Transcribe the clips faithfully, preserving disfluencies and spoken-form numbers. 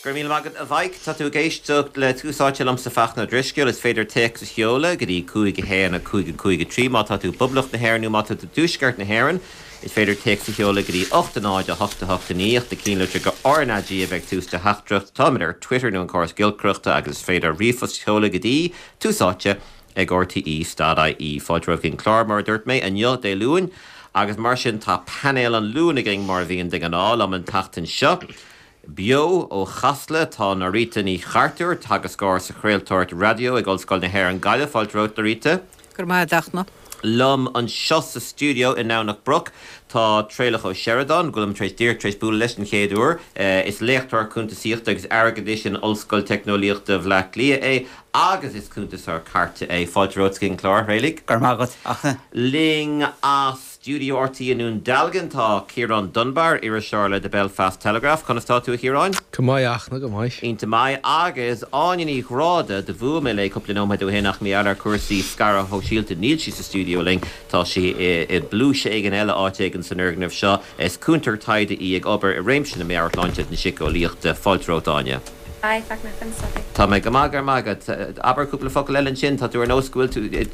Go raibh míle maith agat, a Mhaidhc. Tá tú ag éisteacht le Tús Áite liomsa Fachtna Ó Drisceoil. Is féidir téacs a sheoladh go dtí cúig a haon a cúig a cúig a trí má tá tú i bPoblacht na hÉireann nó má tá tú i dTuaisceart na hÉireann. Is féidir téacs a sheoladh go dtí ocht a náid a hocht a hocht a naoi ach na cinnlitir go R N A G a bheidh tús do theachtaireacht. Táimid ar Twitter nó an córas giolcaireachta agus is féidir ríomhphost a sheoladh go dtí tús áite ag R T E dot I E. Fáilte romhaibh chuig an clár, mar a dúirt mé, inniu Dé Luain agus mar sin tá painéal an Luain againn mar a bhíonn de ghnáth liom an tseachtain seo. Beo ó Chasla tá Norita Ní Chartúir, teagascóir sa chraoltóireacht raidió ag Ollscoil na hÉireann Gaillimh. Fáilte romhat, Norita. Go maith dachna. Liom anseo sa stiúideo i nDomhnach Broc tá Traolach Ó Seireadáin, go bhfuilim tar éis díreach tar éis bualadh leis an chéad uair. Is léachtóir cuntasaíochta agus airgeadais in Ollscoil Teicneolaíochta Bhaile Átha Cliath é agus is cuntasóir cairte é. Fáilte romhat chuig an clár, Thraolaigh. Go maith agat, Fhachtna. Linn as Studio R T E i nDún Dealgan tá Ciarán Dunbar, iriseoir le The Belfast Telegraph. Conas tá tú, a Chiaráin? Go maith, a Fhachtna, go maith. Iontach maith. Agus Áine Ní Ghráda, do bhuail mé léi cúpla nóiméad ó shin ach mar gheall ar chúrsaí scaradh sóisialta níl sí sa stiúideo linn, tá sí i bpluais éigin eile áit éigin san fhoirgneamh seo. Is cúntóir taighde í ag obair i réimse na meabhairshláinte na síceolaíochta. Fáilte romhat, Áine. Hi, Fachtna, conas tá tú? Tá mé go maith, go maith agat. Abair cúpla focal eile ansin, tá tú ar nós go bhfuil tú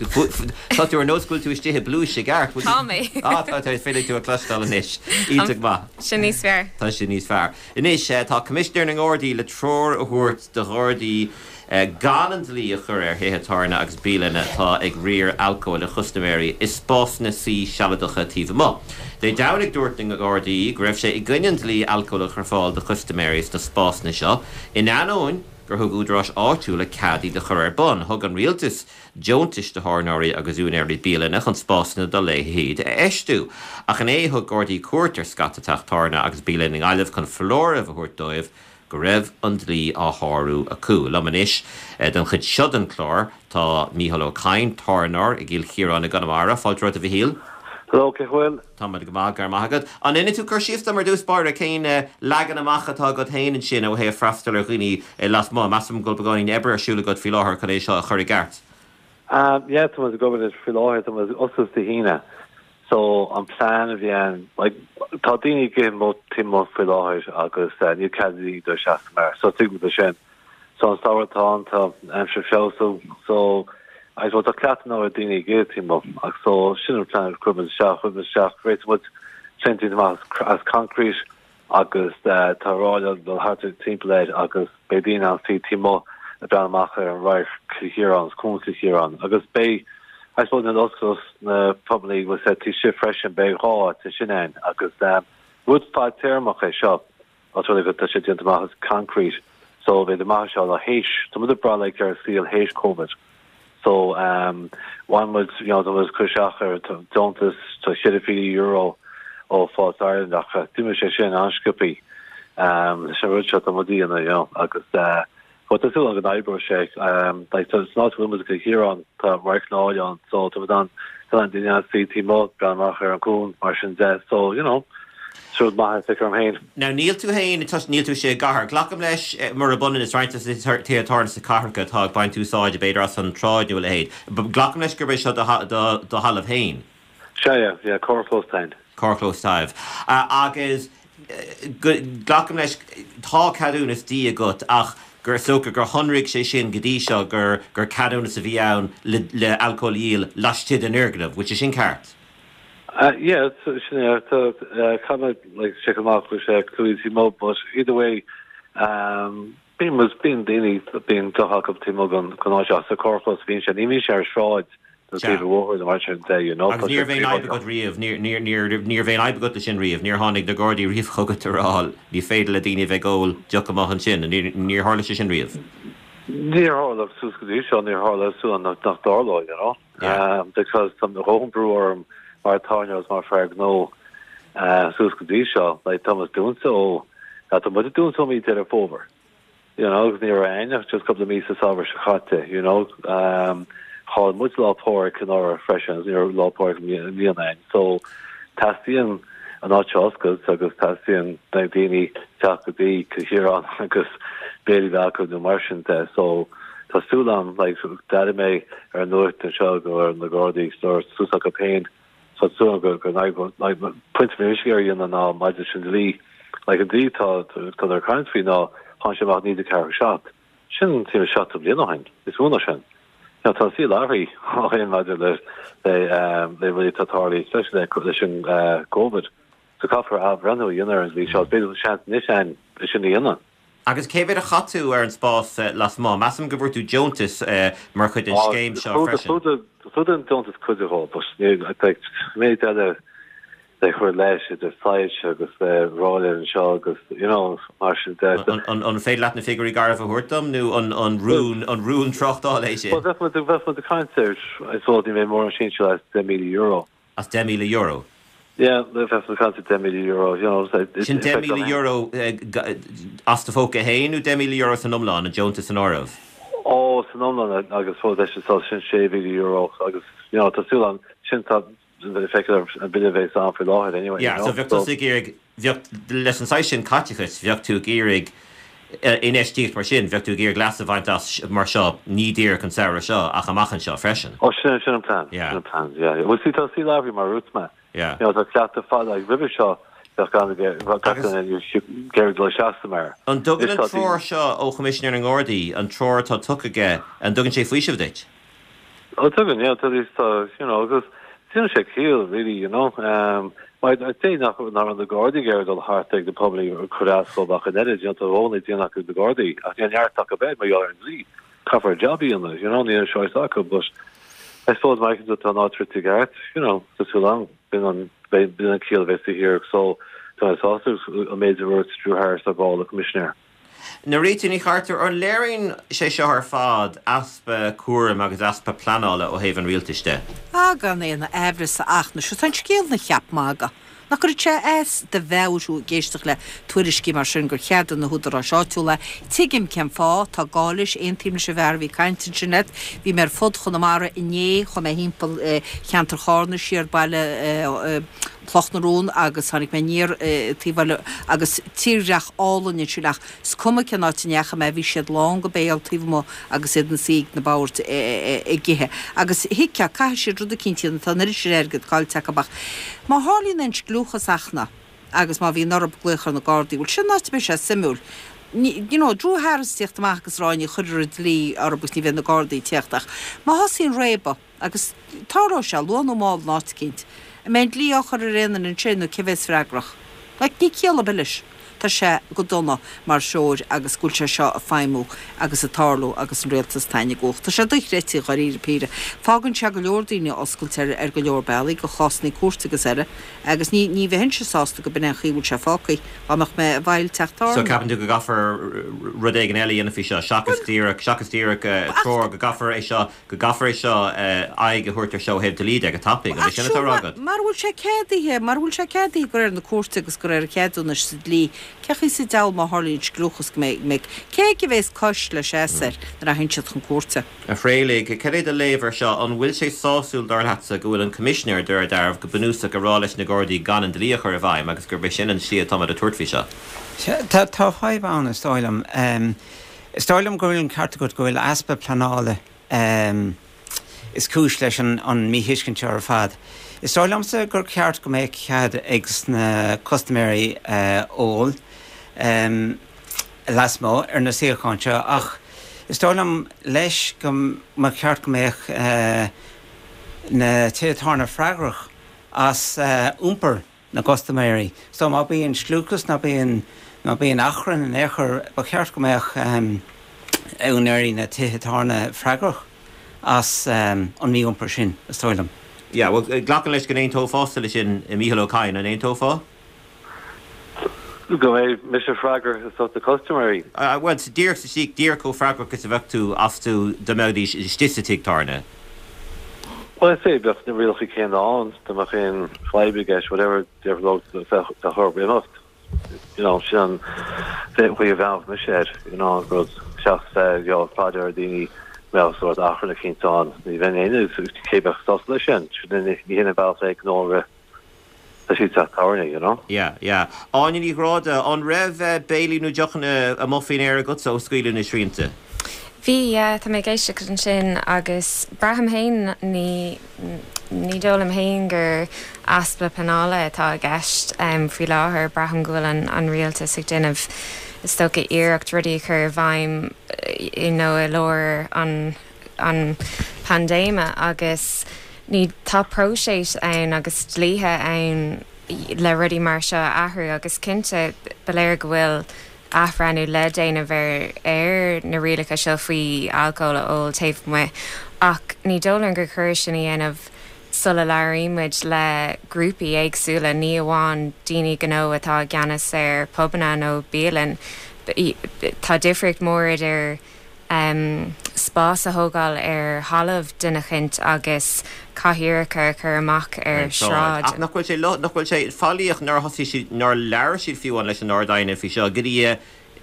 tá tú ar nós go bhfuil tú istigh i bpluais i gceart. Tá mé. Á tá tá féidir tú a chloisteáil anois. Iontach maith. Sin níos fearr. Tá sin níos fearr. Anois tá Coimisinéir na nGardaí le treoir a thabhairt do Ghardaí gan an dlí a chur ar thithe tábhairne agus bialanna atá ag riar alcóil a chustaiméirí i spásanna suí sealadacha taobh amuigh. Dé Domhnaigh dúirt na Gardaí go raibh sé i gcoinne an dlí alcóil a chur fáil do chustaiméirí sna spásanna seo in ainneoin gur thug údaráis áitiúla cead iad a chur ar bun. Thug an rialtas deontais do thábhairneoirí agus úinéirí bialanna chun spásanna dá leithéid a fheistiú. Ach inné thug Gardaí cuairt ar scata teach tábhairne agus bialann i nGaillimh chun foláireamh a thabhairt dóibh go raibh an dlí á shárú acu. Liom anois don chuid seo den chlár tá Mícheál Ó Cadhain, tábhairneoir i gCill Chiaráin i gConamara. Fáilte romhat, a Mhichíl. Hello, cén chaoi a bhfuil? Tá mé go maith, go raibh maith agat. An ndéanfaidh tú cur síos dom ar dtús báire cén leagan amach atá agat féin ansin ó thaobh freastal ar dhaoine lasmuigh. Measaim go bhfuil beagáinín oibre ar siúl agat faoi láthair chun é seo a chur i gceart. Um, yeah, tá muid ag obair faoi láthair, tá muid oscailte Dé hAoine. So an plan a bhí ann, like, tá daoine ag ithe taobh amuigh faoi láthair agus uh, níl cead do seasta mar so tuigim é sin. So an samhradh tá an tá aimsir feabhsú so I suppose tá cleachtadh ar daoine ag ithe taobh amuigh ach so sin an plan chuir muid isteach chuir muid isteach réitigh muid sin amach as concrete agus uh, tá ráille dul thart timpeall air agus beidh daoine an suí taobh amuigh ag breathnú amach ar an radharc Cill Chiaráin Cuan Chill Chiaráin agus beidh I suppose na oscailt na probably was set tí si freisin beidh dhá te sin ann agus um, rud fadtéarmach é seo os rud go tá sé déanta amach as concrete so beidh amach seo le théis tá muid ag brath like ar saol théis COVID so um one was you know was cur isteach ar deontas tá sé euro ó Fáilte Ireland ach d'imigh sé sin an-sciobtha um sin rud seo tá muid you know agus uh But tá súil go n-oibreoidh sé um like so it's not go Cill tá radharc álainn ann so tá an tá an duine suí taobh amuigh gan amach ar an gcuan mar sin de so you know rud maith é orm féin. Now níl tú féin níl tú sé gcathair. Glacaim leis mar a bhaineann is roinnt tithe tábhairne sa cathracha atá ag baint úsáid b'fhéidir as an tsráid nó a leithéid. Glacaim leis gurb é seo do thalamh féin. Sé yeah, carrchlós tain. Carrchlós taobh. Agus glacaim leis tá ceadúnas dí agat ach gur socha gur shonraigh sé sin go dtí seo gur gur ceadúnas a bhí ann le, le alcól a dhíol laistigh den fhoirgneamh, which is sin ceart. Uh, yeah, sin é tá like check amach go sé clúí mo but either way um bíonn was bíonn daoine bíonn deoch acu taobh amuigh gan gan áit sa carrchlós bíonn sé ní bhíonn sé ar sráid taobh bóthair mar sin de you know Agus níor bhí aon fhadhb agat riamh, níor bhí aon fhadhb agat leis sin riamh, níor tháinig na Gardaí riamh chugat a rá ní féidir le daoine bheith ag ól deoch amuigh ansin, níor tharla sé sin riamh. Níor tharla suas go dtí seo níor tharla su nach nach dtarlóidh you know um, because tá dhóthain brú orm mar tábhairneoir mar fear gnó uh, suas go dtí seo like Thomas dúnta ó tá muid dúnta ó mí Deireadh Fómhair you know agus ní raibh ach just cúpla mí sa samhradh seo caite you know um, chaill muid Lá Pádraig anuraidh freisin ní raibh Lá Pádraig i mbliana so teastaíonn an áit oscailte agus teastaíonn na daoine teacht go dtí Cill Chiaráin agus béilí acu nó mar sin de so tá súil agam like d'airigh mé ar an nuacht anseo go ar na Gardaí store suas acu féin so súil go go like point mé ar dhéanamh ná maidir sin dlí like an dlí tá tá ar caint faoi ná Tháinig sé amach naoi déag ceathracha seacht. Sin timpeall seachtó bliain ó shin, is mó ná sin. Now, tá an saol athraithe ó shin maidir le le le rudaí atá tarlaithe, especially le leis an Covid. So caithfear athbhreithniú a dhéanamh ar an dlí seo. B'fhéidir seans anois ann é sin a dhéanamh. Agus cé mhéad a chaith tú ar an spás lasmuigh? Measaim go bhfuair tú deontas mar chuid den scéim seo freisin. Chlúdaigh an deontas cuid de dhó, but like méid eile le cur leis idir soilse agus ráille anseo agus you know mar sin de. An an féidir leat na figiúirí garbha a thabhairt dom nó an an rún an rún tráchtála é sin? Well bheadh muid bheadh muid ag caint ar I suppose ní bheidh mórán sinsear as deich míle euro. As deich míle euro? Yeah, bheadh muid ag caint ar deich míle euro, you know. Sin deich míle euro as do phóca féin nó deich míle euro san iomlán, an deontas san áireamh? Ó, san iomlán agus fós leis an sin sé mhíle euro agus you know tá súil ann sin tá feictear an bille bheith ann faoi láthair anyway. Yeah, so bheadh tú ag iarraidh bheadh leis an saghas sin caiteachais bheadh tú ag iarraidh infheistíocht mar sin, bheadh tú ag iarraidh leas a bhaint as mar seo ní díreach an samhradh seo ach amach anseo freisin. Ó sin sin an plan. Yeah. Sin an plan, yeah. Well see tá an saol athraithe mar a dúirt mé. Yeah. You know tá cleachtadh fada like roimhe seo bheadh gan gach duine ag iarraidh dul isteach sa mbeár. An dtugann an treoir seo ó Choimisinéir na nGardaí, an treoir atá tugtha aige, an dtugann sé faoiseamh duit? Ó tugann, yeah, tá tá you know agus déanann sé ciall really, you know. Um, mar I'd say nach nach raibh na Gardaí ag iarraidh dul thart ag na pobail ag cur as dóibh ach an oiread, you know, tá rogha le déanamh acu na Gardaí ach níl neart acu bheith mar gheall ar an dlí. Caithfear job a dhéanamh, you know, níl an choice acu, but I suppose mar tá an áit i gceart, you know, tá súil agam, b'in an b'in an ciall a bheas thiar so tá mé sásta an méid a dúirt Drew Harris ar ball, an Coimisinéir. Norita Ní Chartúir, an léiríonn sé seo ar fad easpa cúraim agus easpa pleanála ó thaobh an rialtais de? Ah, gan aon amhras ach na seo tá an scéal ina cheap magaidh. Nach gcuireann sé as do mheabhair thú ag éisteacht le tuairiscí mar sin gur cheadaigh na húdaráis áitiúla. Tuigim cén fáth, tá gá leis, aontaím leis an bhfear a bhí ag caint ansin leat. Bhí mé ar fud Chonamara inné, chuaigh mé thimpeall cheantar Chárna siar baile Chloch na Rón agus tháinig mé aniar taobh eile agus tírdhreach álainn ansin ach is cuma cén áit a ndeachaigh mé bhí siad lán go béal taobh amuigh agus iad ina suí ag na boird ag ithe. Agus thuigfeá, caithfidh siad rud eicínt a dhéanamh, tá an oiread sin airgid caillte acu ach má tharlaíonn aon scliúchas acu agus má bhíonn orthu glaoch ar na Gardaí, bhuel sin an áit a mbeidh sé suimiúil. You know, Drew Harris ag tíocht amach agus rá ní chuirfear an dlí orthu agus ní bheidh na Gardaí ag tíocht ach má thosaíonn réabadh agus tarlóidh sé luath nó mall in áit eicínt, An mbeidh an dlí á chur ar aon duine ansin nó cé bheas freagrach? Like, níl ciall ar bith leis. Tá sé go dona mar threoir agus go bhfuil sé seo ag feidhmiú agus ag tarlú agus an rialtas tagtha i gcumhacht. Tá sé dochreidte dháiríre píre. Fágann sé go leor daoine oscailte ar, ar go leor bealaí, do chásanna cúirte agus eile, agus ní, ní bheinnse sásta go b'in é an chaoi a bhfuil sé fágtha, dá mbeadh mé i bhfeighil teach So tábhairne. ceapann tú go gcaithfear rud éigin eile a dhéanamh faoi seo, seachas díreach, seachas díreach treoir, go gcaithfear é seo, go gcaithfear é seo aghaidh a thabhairt ar seo ó thaobh dlí de go tapaidh, an é sin atá á rá agat? Mara bhfuil sé ceadaithe, mara bhfuil sé ceadaithe de réir na cúirte agus de réir an cheadúnais sa dlí, cén chaoi sa diabhal má tharlaíonn scliúchas go mbeidh, mbeidh, cé aige a bheas cois le seas air nuair a théann siad chun cúirte? A Thraolaigh, cad é do léamh ar seo? An bhfuil sé sásúil dar leatsa go bhfuil an Coimisinéir, de réir dealraimh, go bunúsach ag rá leis na Gardaí gan an dlí a chur i bhfeidhm agus gurb é sin an slí atáimid ag tabhairt faoi seo? Sea, tá, tá fadhb ann is dóigh liom. Is dóigh liom go bhfuil an ceart agat go bhfuil easpa pleanála is cúis leis an an míthuiscint seo ar fad. Is dóigh liomsa gur ceart go mbeadh cead ag na custaiméirí ól lasmuigh ar na suíocháin seo ach is dóigh liom leis go mba cheart go mbeadh na tithe tábhairne freagrach as iompar na gcustaiméirí. So má bíonn scliúchas ná bíonn má bíonn achrann in aon chor ba cheart go mbeadh úinéirí na tithe tábhairne freagrach as an mí-iompar sin, is dóigh liom. Yeah, well, glacaim leis go n-aontófása leis sin, Mícheál Ó Cadhain, an aontófá? Go mbeidh mise freagrach as na custaiméirí? Bhuel, díreach sa tslí, díreach chomh freagrach is a bheadh tú astu dá mbeidís istigh sa tigh tábhairne. Bhuel, is é, bheadh na rialacha céanna ann, dá mbeadh aon fadhb i gceist, whatever, déarfainn leo bheadh orthu imeacht. You know, sin an chaoi a bhreathnódh mise air, you know, an rud, seachas bheith, you know, ag faire ar dhaoine, mbeadh sórt achrann eicínt ann, ní bheinn aon, cé bheadh sásta leis sin, sin ní hin an bealach le gnó a rith le teach tábhairne, you know. Yeah, yeah. Áine Ní Ghráda, an raibh béilí nó deochanna amuigh faoin aer agatsa ó scaoileadh na srianta? Bhí, yeah, tá mé ag éisteacht ansin agus braithim féin ní ní dóigh liom féin gur easpa pleanála atá i gceist um, faoi láthair braithim go bhfuil an, an rialtas ag déanamh is dócha iarracht rudaí a chur i bhfeidhm you know i lár an an paindéime agus ní tá próiseas ann agus dlíthe ann le rudaí mar seo a athrú agus cinnte ba léir go bhfuil athbhreithniú le déanamh ar ar na rialacha seo faoi alcól a ól taobh amuigh ach ní dóigh liom gur chóir sin a dhéanamh sula labhraíonn muid le grúpaí éagsúla, ní amháin daoine gnó atá i gceannas ar pubanna nó bialann. Tá difríocht mór idir spás a thógáil ar thalamh duine éicint agus cathaoireacha a chur amach ar sráid. Ach nach bhfuil sé, nach bhfuil sé faillíoch nár thosaigh siad, nár labhair siad fiú amháin leis an Ard-Aighne faoi seo go dtí,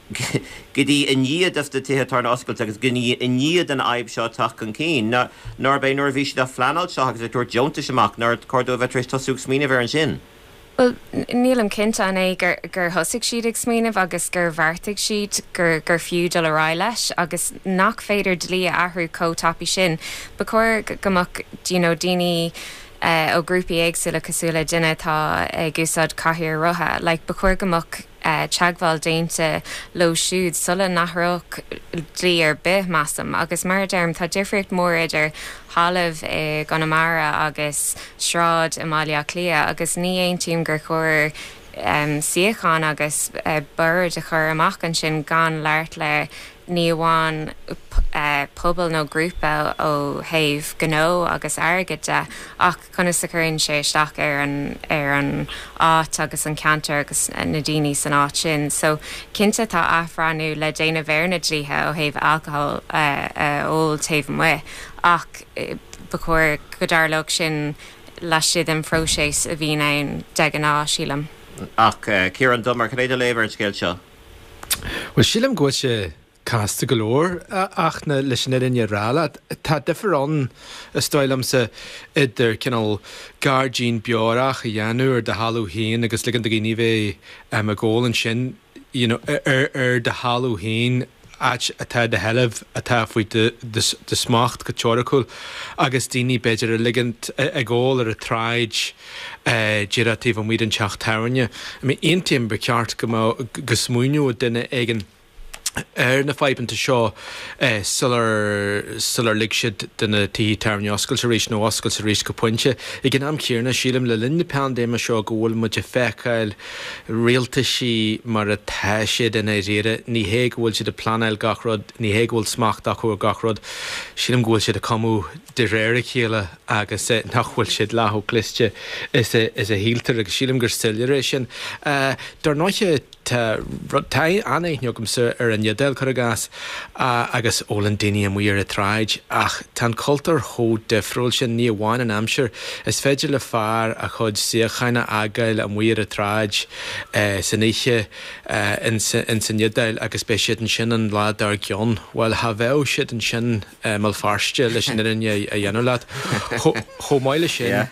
go dtí i ndiaidh dos na tithe tábhairne oscailt agus go dtí i ndiaidh don fhadhb seo teacht chun cinn. Nárb é nuair a bhí siad á phleanáil seo agus ag tabhairt deontais amach nár chóir dóibh bheith tar éis tosú ag smaoineamh air ansin? Bhuel, nílim cinnte an é gur gur thosaigh siad ag smaoineamh agus gur bheartaigh siad gur gur fiú dul ar aghaidh leis agus nach féidir dlí a athrú chomh tapaidh sin. Ba chóir go mbeadh you know daoine ó ghrúpaí éagsúla cosúil le duine atá ag úsáid cathaoir rotha, like ba chóir go mbeadh teagmháil déanta leo siúd sula n-athródh dlí ar bith, measaim. Agus mar a deirim, tá difríocht mhór idir thalamh i gConamara agus sráid i mBaile Átha Cliath agus ní aontaím gur chóir suíocháin agus boird a chur amach ansin gan labhairt le ní amháin pobal nó grúpa ó thaobh gnó agus airgid de ach conas a chuireann sé isteach ar an ar an áit agus an ceantar agus na daoine san áit sin. So cinnte tá athbhreithniú le déanamh ar na dlíthe ó thaobh alcohol a ól taobh amuigh ach ba chóir go dtarlódh sin laistigh den phróiseas a bhíonn ann de ghnáth, sílim. Ach Ciarán Dunbar, cad é do léamh ar an scéal seo? Bhuel, sílim go bhfuil sé casta go leor ach na, leis an fhírinne a rá leat, tá difear ann, is dóigh liomsa, idir cineál gairdín beorach a dhéanamh ar do thalamh féin agus ligean do dhaoine bheith ag ól ansin, you know, ar, ar do thalamh féin, áit atá i do sheilbh, atá faoi do smacht go teoiriciúil, agus daoine b'fhéidir a ligint ag ól ar an tsráid díreach taobh amuigh den teach tábhairne. I mean, aontaím, ba cheart go mbeadh, go smaoineodh duine éigin ar na fadhbanna seo sular sular lig siad do na tithe tábhairne oscailt arís nó oscailt arís go pointe. Ag an am céanna, sílim le linn na paindéime seo go bhfuil muid ag feiceáil rialtaisí mar atá siad i ndáiríre. Ní hé go bhfuil siad ag pleanáil gach rud, ní hé go bhfuil smacht acu ar gach rud. Sílim go bhfuil siad ag cumadh de réir a chéile agus nach bhfuil siad leath chomh cliste is a is a shíltear agus sílim gur soiléir é sin. Dar ndóighe, Tá rud, tá an-aithne agamsa ar an Iodáil, cuir i gcás, agus ólann daoine amuigh ar an tsráid, ach tá an cultúr chomh difriúil sin, ní amháin an aimsir, is féidir le fear a chuid suíocháin a fhágáil amuigh ar an tsráid san oíche ins an Iodáil agus beidh siad ansin an lá dár gcionn. Bhuel, cha bheadh siad ansin i mBéal Feirste, leis an fhírinne a dhéanamh leat. Chomh maith leis sin,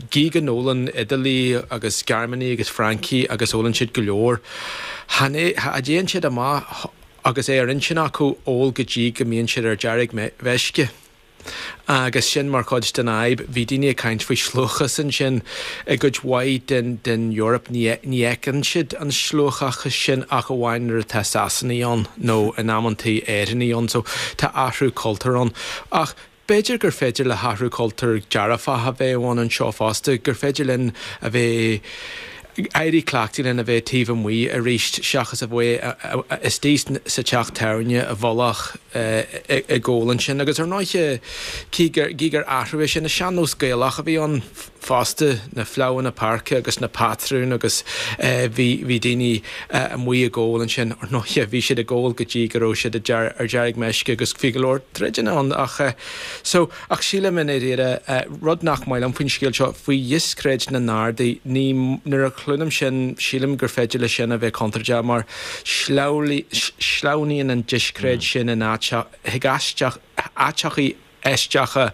gí go n-ólann Iodálaigh agus Gearmánaigh agus Francaigh agus ólann siad go leor, cha dtéann siad amach agus é ar intinn acu ól go dtí go mbíonn siad ar deargmheisce. Agus sin mar chuid den fhadhb. Bhí daoine ag caint faoi shluachas ansin. I gcuid mhaith den den Eoraip ní ní fheiceann siad an sluachachas sin ach amháin nuair atá Sasanaigh ann nó in amantaí Éireannaigh ann. So tá athrú cultúir ann. Ach b'fhéidir gur féidir le hathrú cultúir dearfach a bheith ann anseo fosta, gur féidir linn a bheith éirí cleachtaithe lena bheith taobh amuigh arís seachas a bheith istigh sa teach tábhairne i bhfolach ag ól ansin. Agus ar ndóighe, cé gur athrú é sin, is sean-nós Gaelach a bhí ann fosta, na fleadhanna páirce agus na patrúin agus bhí bhí daoine amuigh ag ól ansin. Ar ndóighe, bhí siad ag ól go dtí go raibh siad ar deargmeisce agus bhí go leor troideanna ann ach so ach sílim i ndáiríre, rud nach maith liom faoin scéal seo, faoi dhiscréid na nGardaí, ní nuair a chluinim sin, sílim gur féidir leis sin a bheith contúirteach mar sleamhnaíonn an discréid sin in chuig áiteachaí aisteacha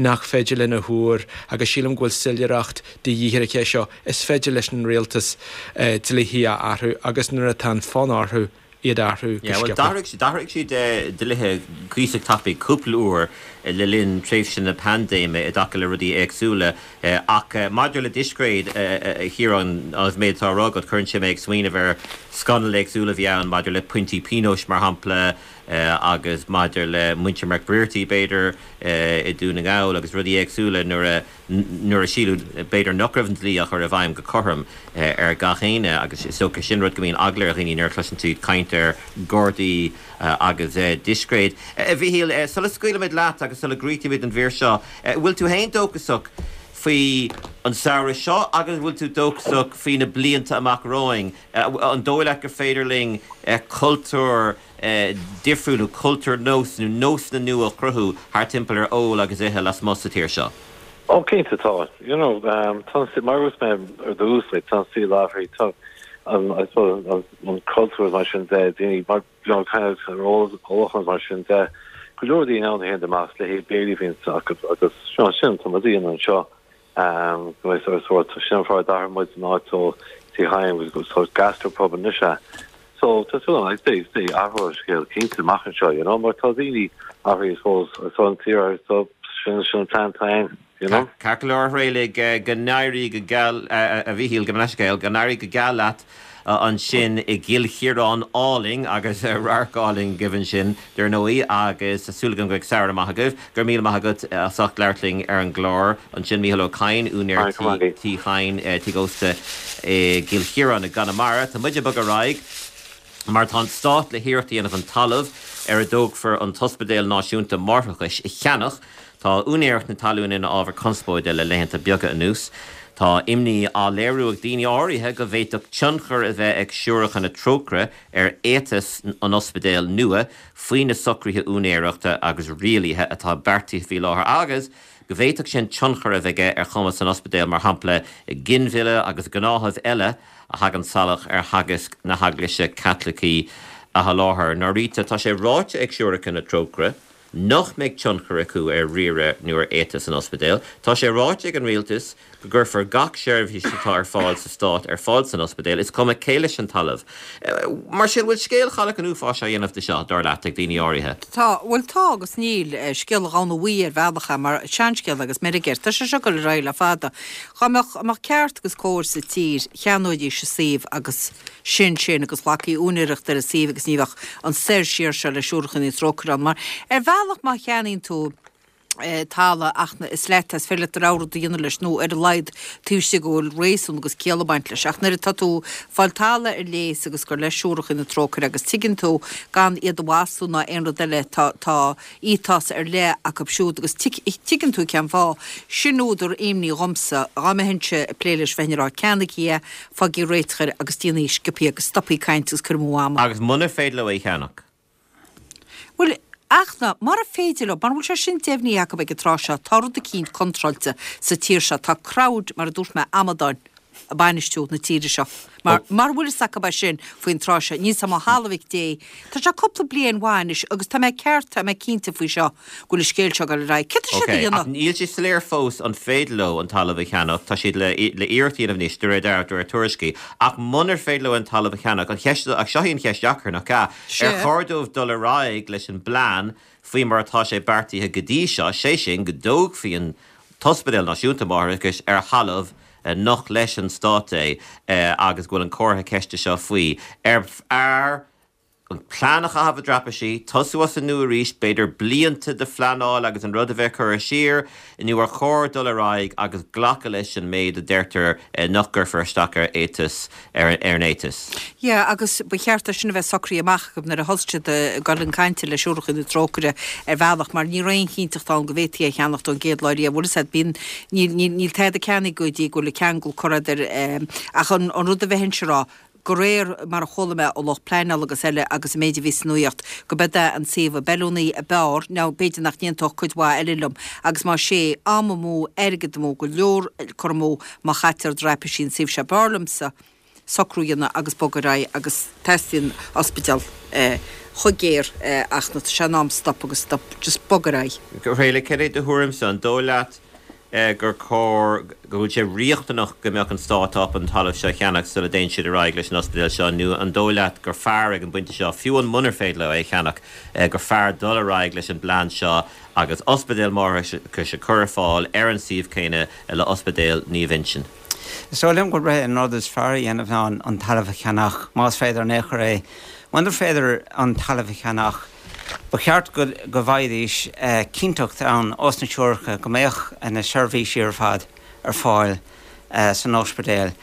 nach féidir linn a thuar agus sílim go bhfuil soiléireacht de dhíth ar an cheist seo. Is féidir leis an rialtas dlíthe a athrú agus nuair atá an fonn orthu, iad a athrú go Yeah, well, sciobtha. d'athraigh d'athraigh siad eh, dlíthe cuíosach tapaidh cúpla uair eh, le linn tréimhse na paindéime i dtaca le rudaí éagsúla eh, ach eh, maidir le discréid eh, eh, Chiaráin an méid atá á rá agat cuireann sé mé ag smaoineamh ar scannail éagsúla a bhí ann maidir le pointí pionóis mar shampla eh, agus maidir le muintir McBrearty b'fhéidir eh, i Dún na nGall agus rudaí éagsúla nuair a nuair a síleadh b'fhéidir nach raibh an dlí á chur i bhfeidhm go cothrom eh, ar gach éinne agus is dócha sin rud go mbíonn eagla ar dhaoine nuair a chloiseann siad caint ar Ghardaí eh, agus eh, discréid. Eh, Mhíchíl, eh, sula scaoilimid leat agus sula gcríochnaímid an mhír seo, eh, bhfuil tú féin dóchasach faoi an samhradh seo agus bhfuil tú dóchasach faoi na blianta amach romhainn Eh, an dóigh leat gur féidir linn eh, cultúr eh, difriúil nó cultúr nós nó nósanna nua a chruthú thar timpeall ar ól agus ithe lasmuigh sa tír seo. Oh, cinnte tá. You know, um, tá mar a dúirt mé ar dtús like, tá sí láithrí tá um, I suppose an, an cultúr mar sin de daoine mar you know, kind of ólachán mar sin de go leor daoine ann a théann amach le haghaidh béilí féin agus agus seo sin tá daoine anseo um, go mbeidh sort sort sin fáth ar d'athraigh muid an áit ó Tigh Chaim agus go sort gastropub anois é. So tá tú like they they athrú scéal cinnte amach anseo, you know, mar tá daoine athraithe suppose so an tír so sin sin plan time, you know. Ceart go leor réalaigh go n-éirí go geal a Mhíchíl go leiscéil go n-éirí go geal leat ansin i gCill Chiaráin álainn agus radharc álainn agaibh ansin dar ndóigh agus súil agam go mbeidh samhradh maith agaibh, gur míle maith agat as ucht labhairt linn ar an gclár ansin Mícheál Ó Cadhain úinéir Tigh Chaim tigh ósta i gCill Chiaráin i gConamara, Tá muid ag bogadh ar aghaidh. Mar tá an stát le hiarracht a dhéanamh an talamh ar a dtógfar an tOspidéal Náisiúnta Máithreachais a cheannach, tá úinéireacht na talún ina ábhar conspóide le laethanta beaga anuas. Tá imní á léiriú ag daoine áirithe go bhféadfadh tionchar a bheith ag Siúracha na Trócaire ar éiteas an ospidéil nua faoi na socruithe úinéireachta agus rialaithe atá beartaithe faoi láthair agus go bhféadfadh sin tionchar a bheith aige ar chumas an ospidéil mar shampla ginmhilleadh agus gnáthaimh eile a thagann salach ar theagasc na hEaglaise Caitlicí a sholáthar. Norita tá sé ráite ag Siúracha na Trócaire nach mbeidh tionchar acu ar riaradh nó ar éiteas an ospidéil. Tá sé ráite ag an rialtas go gcuirfear gach seirbhís atá ar fáil sa stát ar fáil san ospidéal, is cuma cé leis an talamh. Mar sin bhfuil scéal chailleach an uafáis á dhéanamh de seo dar leat ag daoine áirithe. Tá bhfuil tá agus níl scéal an ghamhna bhuí ar bhealach mar seanscéal agus meirg air. Tá sé seo ag dul ar aghaidh le fada. Dá mbeadh amach ceart agus cóir sa tír cheannóidís an suíomh agus sin sin agus ghlacfaí úinéireacht ar an suíomh agus ní bheadh an soir siar seo le Siúracha na Trócaire ann mar ar bhealach má cheannaíonn tú talamh ach is leat is féidir leat do rogha rud a dhéanamh leis nó ar a laghad taobh istigh go bhfuil réasún agus ciall ag baint leis ach nuair atá tú fáil talamh ar léas agus gur le Siúracha na Trócaire agus tuigeann tú gan iad a mhaslú ná aon rud eile tá tá ethos ar leith acu siúd agus tuigeann tú cén fáth sin údar imní dhomsa dá mbeinnse ag plé leis bheinn ag rá ceannaigí é fágaigí réiteach air agus déanaigí sciobthaí agus stopaigí caint agus cur amú ama. Agus munar féidir leo é a cheannach. Bhuel ach ná mura féidir leo, mura bhfuil sé sin deimhnithe acu ag an tráth seo, tá rud eicínt contráilte sa tír seo, tá crowd, mar a dúirt mé, amadáin ag bainistiú na tíre seo. Mar mura bhfuil fhios acu é sin faoin tráth seo, níl 's agam ó thalamh mhic Dé. Tá sé cúpla bliain mhaith anois agus tá mé ceart, tá mé cinnte faoi seo go bhfuil an scéal seo ag dul ar aghaidh. Céard tá siad a Ok, ach dhéanamh? níl sé soiléir fós an féidir leo an talamh a cheannach, tá siad le le iarracht a dhéanamh anois de réir dealraimh, de réir tuairiscí, ach munar féidir leo an talamh a cheannach, an cheist, ach seo í an cheist dheacair, nach ea? Sea. Ar chóir dóibh dul ar aghaidh leis an bplean faoi mar atá sé beartaithe go dtí seo, sé sin go dtógfaí an tOspidéal Náisiúnta Máithreachais ar thalamh nach leis an stát é agus go bhfuil an comhartha ceiste seo faoi. Ar fhearr an plean a chaitheamh i dtraipisí, tosú as an nua arís, b'fhéidir blianta de phleanáil agus an rud a bheith curtha siar, nó ar chóir dul ar aghaidh agus glacadh leis an méid a deirtear nach gcuirfear isteach ar éiteas ar an éiteas. Yeah, agus ba cheart é sin a bheith socraithe amach acu nuair a thosaigh siad ag dul chun cainte le Siúracha na Trócaire ar bhealach mar ní raibh aon chinnteacht ann go bhféadfaí é a cheannacht ón gcéad lá riamh. Bhfuil fhios agat, bíonn, níl, níl, níl tada ceannaithe go dtí go bhfuil an ceangal curtha idir, ach an, an rud a bheinnse a rá, de réir mar a chuala mé ó lucht pleanála agus eile agus an méid a bhí sa nuaíocht, go b'é an suíomh ab fheiliúnaí ab fhearr, nó b'fhéidir nach n-aontódh cuid mhaith eile liom, agus más é, am amú, airgead amú, go leor cur amú má chaitear i dtraipisí an suíomh seo. B'fhearr liomsa socrú a dhéanamh agus bogadh ar aghaidh agus teastaíonn ospidéal chomh géar ach tá sé in am stop agus stop, just bog ar aghaidh. Réala, cad é do thuairimse, an dóigh leat gur cóir go bhfuil sé riachtanach go mbeadh an stát ábalta an talamh seo a cheannach sula dtéann siad ar aghaidh leis an ospidéal seo nó an dóigh leat gur fearr ag an bpointe seo, fiú amháin munar féidir leo é a cheannach, gur fearr dul ar aghaidh leis an bplean seo agus ospidéal máithreachais a chur ar fáil ar an suíomh céanna le Ospidéal Naomh Uinseann? Is dóigh liom gurb é an rud is fearr a dhéanamh ná an talamh a cheannach, más féidir in aon chor é. Munar féidir an talamh a cheannach, Ba cheart go bhfaighidís cinnteacht ann ós na siúracha go mbeadh na seirbhísí ar fad ar fáil san ospidéal.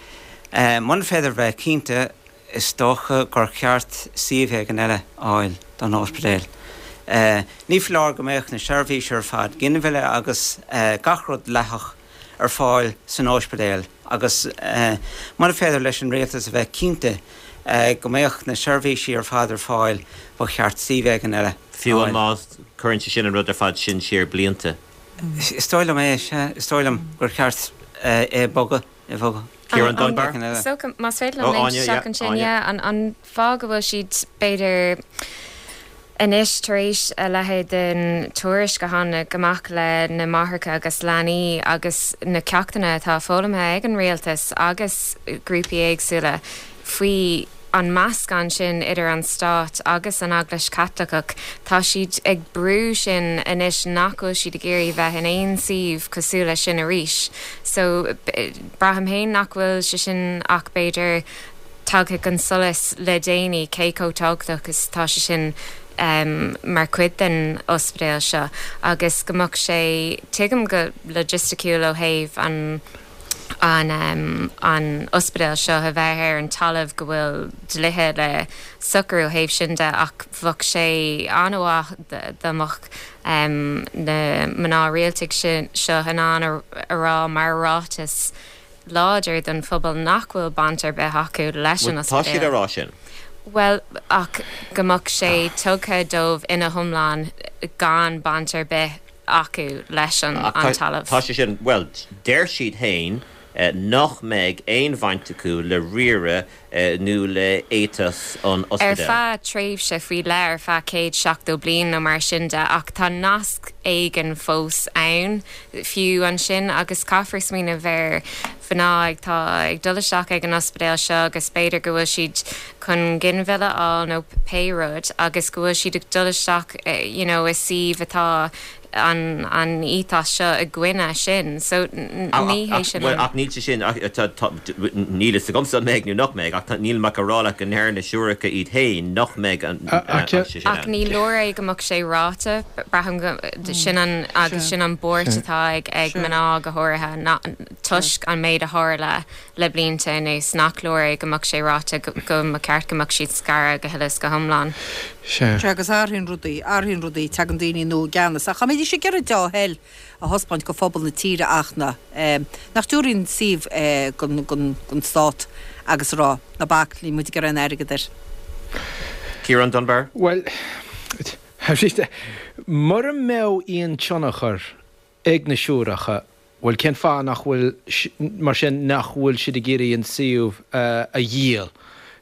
Muna féidir bheith cinnte, is dócha gur cheart suíomh éigin eile a fháil don ospidéal. Ní foláir go mbeadh na seirbhísí ar fad, ginmhilleadh agus gach rud dleathach, ar fáil san ospidéal agus muna féidir leis an rialtas a bheith cinnte go mbeadh na seirbhísí ar fad ar fáil, ba cheart suíomh éigin eile a Fiú fháil. má chuireann sé sin an rud ar fad sin siar blianta. Is dóigh liom é, sea. Is dóigh liom gur cheart é a bhogadh, é a bhogadh. Ciarán Dunbar. Is dócha, más féidir liom léimt isteach ansin, yeah, an fáth go bhfuil siad, b'fhéidir, Anois, tar éis a leithéid den tuairisc a tháinig amach le na máithreacha agus leanaí agus na ceachtanna atá foghlamtha ag an rialtas agus grúpaí éagsúla faoi an meascán sin idir an stát agus an Eaglais Chaitliceach, tá siad ag brú sin anois nach bhfuil siad ag iarraidh bheith in aon suíomh cosúil leis sin arís. So, braithim féin nach bhfuil sé sin ach b'fhéidir tagtha chun solais le déanaí cé chomh tábhachtach is atá sé sin mar chuid den ospidéal seo agus go mbeadh sé, tuigim go loigisticiúil ó thaobh an an an ospidéal seo a bheith ar an talamh go bhfuil dlíthe le socrú ó thaobh sin de ach bheadh sé an-mhaith dá mbeadh na mná rialta seo in ann a rá mar ráiteas láidir don phobal nach bhfuil baint ar bith acu leis an Bhuel, tá siad ospidéal. á rá sin. Bhuel, ach go mbeadh sé tugtha dóibh ina hiomlán gan baint ar bith acu leis an Ach an tá, talamh. tá sé sin, bhuel, deir siad féin nach mbeidh aon bhaint acu le riaradh nó le éiteas an Ar ospidéil. feadh tréimhse faoi leith, ar feadh céad seachtó bliain nó mar sin de, ach tá nasc éigin fós ann fiú ansin agus caithfear smaoineamh ar mhná atá ag dul isteach ag an ospidéal seo agus b'fhéidir go bhfuil siad chun ginmhilleadh a fháil nó pé rud agus go bhfuil siad ag dul isteach you know i suíomh atá an an ethos seo i gcoinne sin. So ní hé sin Bhuel, an. ach níl sé sin, níl fhios agamsa an mbeidh nó nach mbeidh, ach níl mé ach ag rá leat go ndeir na siúracha iad féin nach mbeidh an sé sin Ach ann. ní leor é go mbeadh sé ráite, braithim go sin an agus sin an buairt atá ag ag mná go háirithe ná toisc an méid a tharla le blianta anuas nach leor é go mbeadh sé ráite go go mba cheart go mbeadh siad scartha go huile is go hiomlán. Sea. Sea, agus athraíonn rudaí, athraíonn rudaí, tagann daoine nua i gceannas. Ach dá mbeidís ag iarraidh dea-thoil a thaispeáint go phobal na tíre ach na, nach dtabharfaí an suíomh gon, gon, gon stát agus a rá, ná bac, níl muid ag iarraidh aon airgead air. Ciarán Dunbar? Bhuel, mura mbeadh aon tionchar ag na siúracha, Bhuel, cén fáth nach bhfuil, mar sin, nach bhfuil siad ag iarraidh an suíomh a dhíol?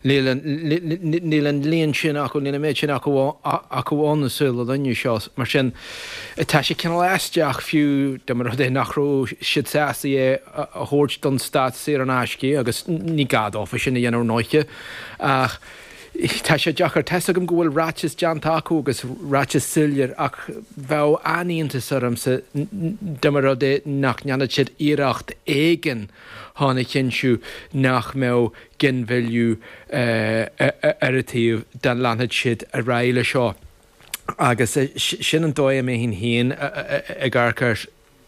Níl an, níl an líon sin acu, níl an méid sin acu, acu ann i saol an inniu seo. Mar sin, tá sé cineál aisteach fiú dá mba rud é nach raibh siad sásta é a thabhairt don stát saor in aisce agus ní gá dófa sin a dhéanamh ar ndóiche ach, Tá sé deacair. Tá's agam go bhfuil ráiteas déanta acu agus ráiteas soiléir ach bheadh an-iontas ormsa dá mba rud é nach ndéanfadh siad iarracht éigin chun a chinntiú nach mbeadh ginmhilleadh ar an tsuíomh dá leanfadh siad ar aghaidh leis seo. Agus sin an dóigh a mbeinn féin ag amharc air.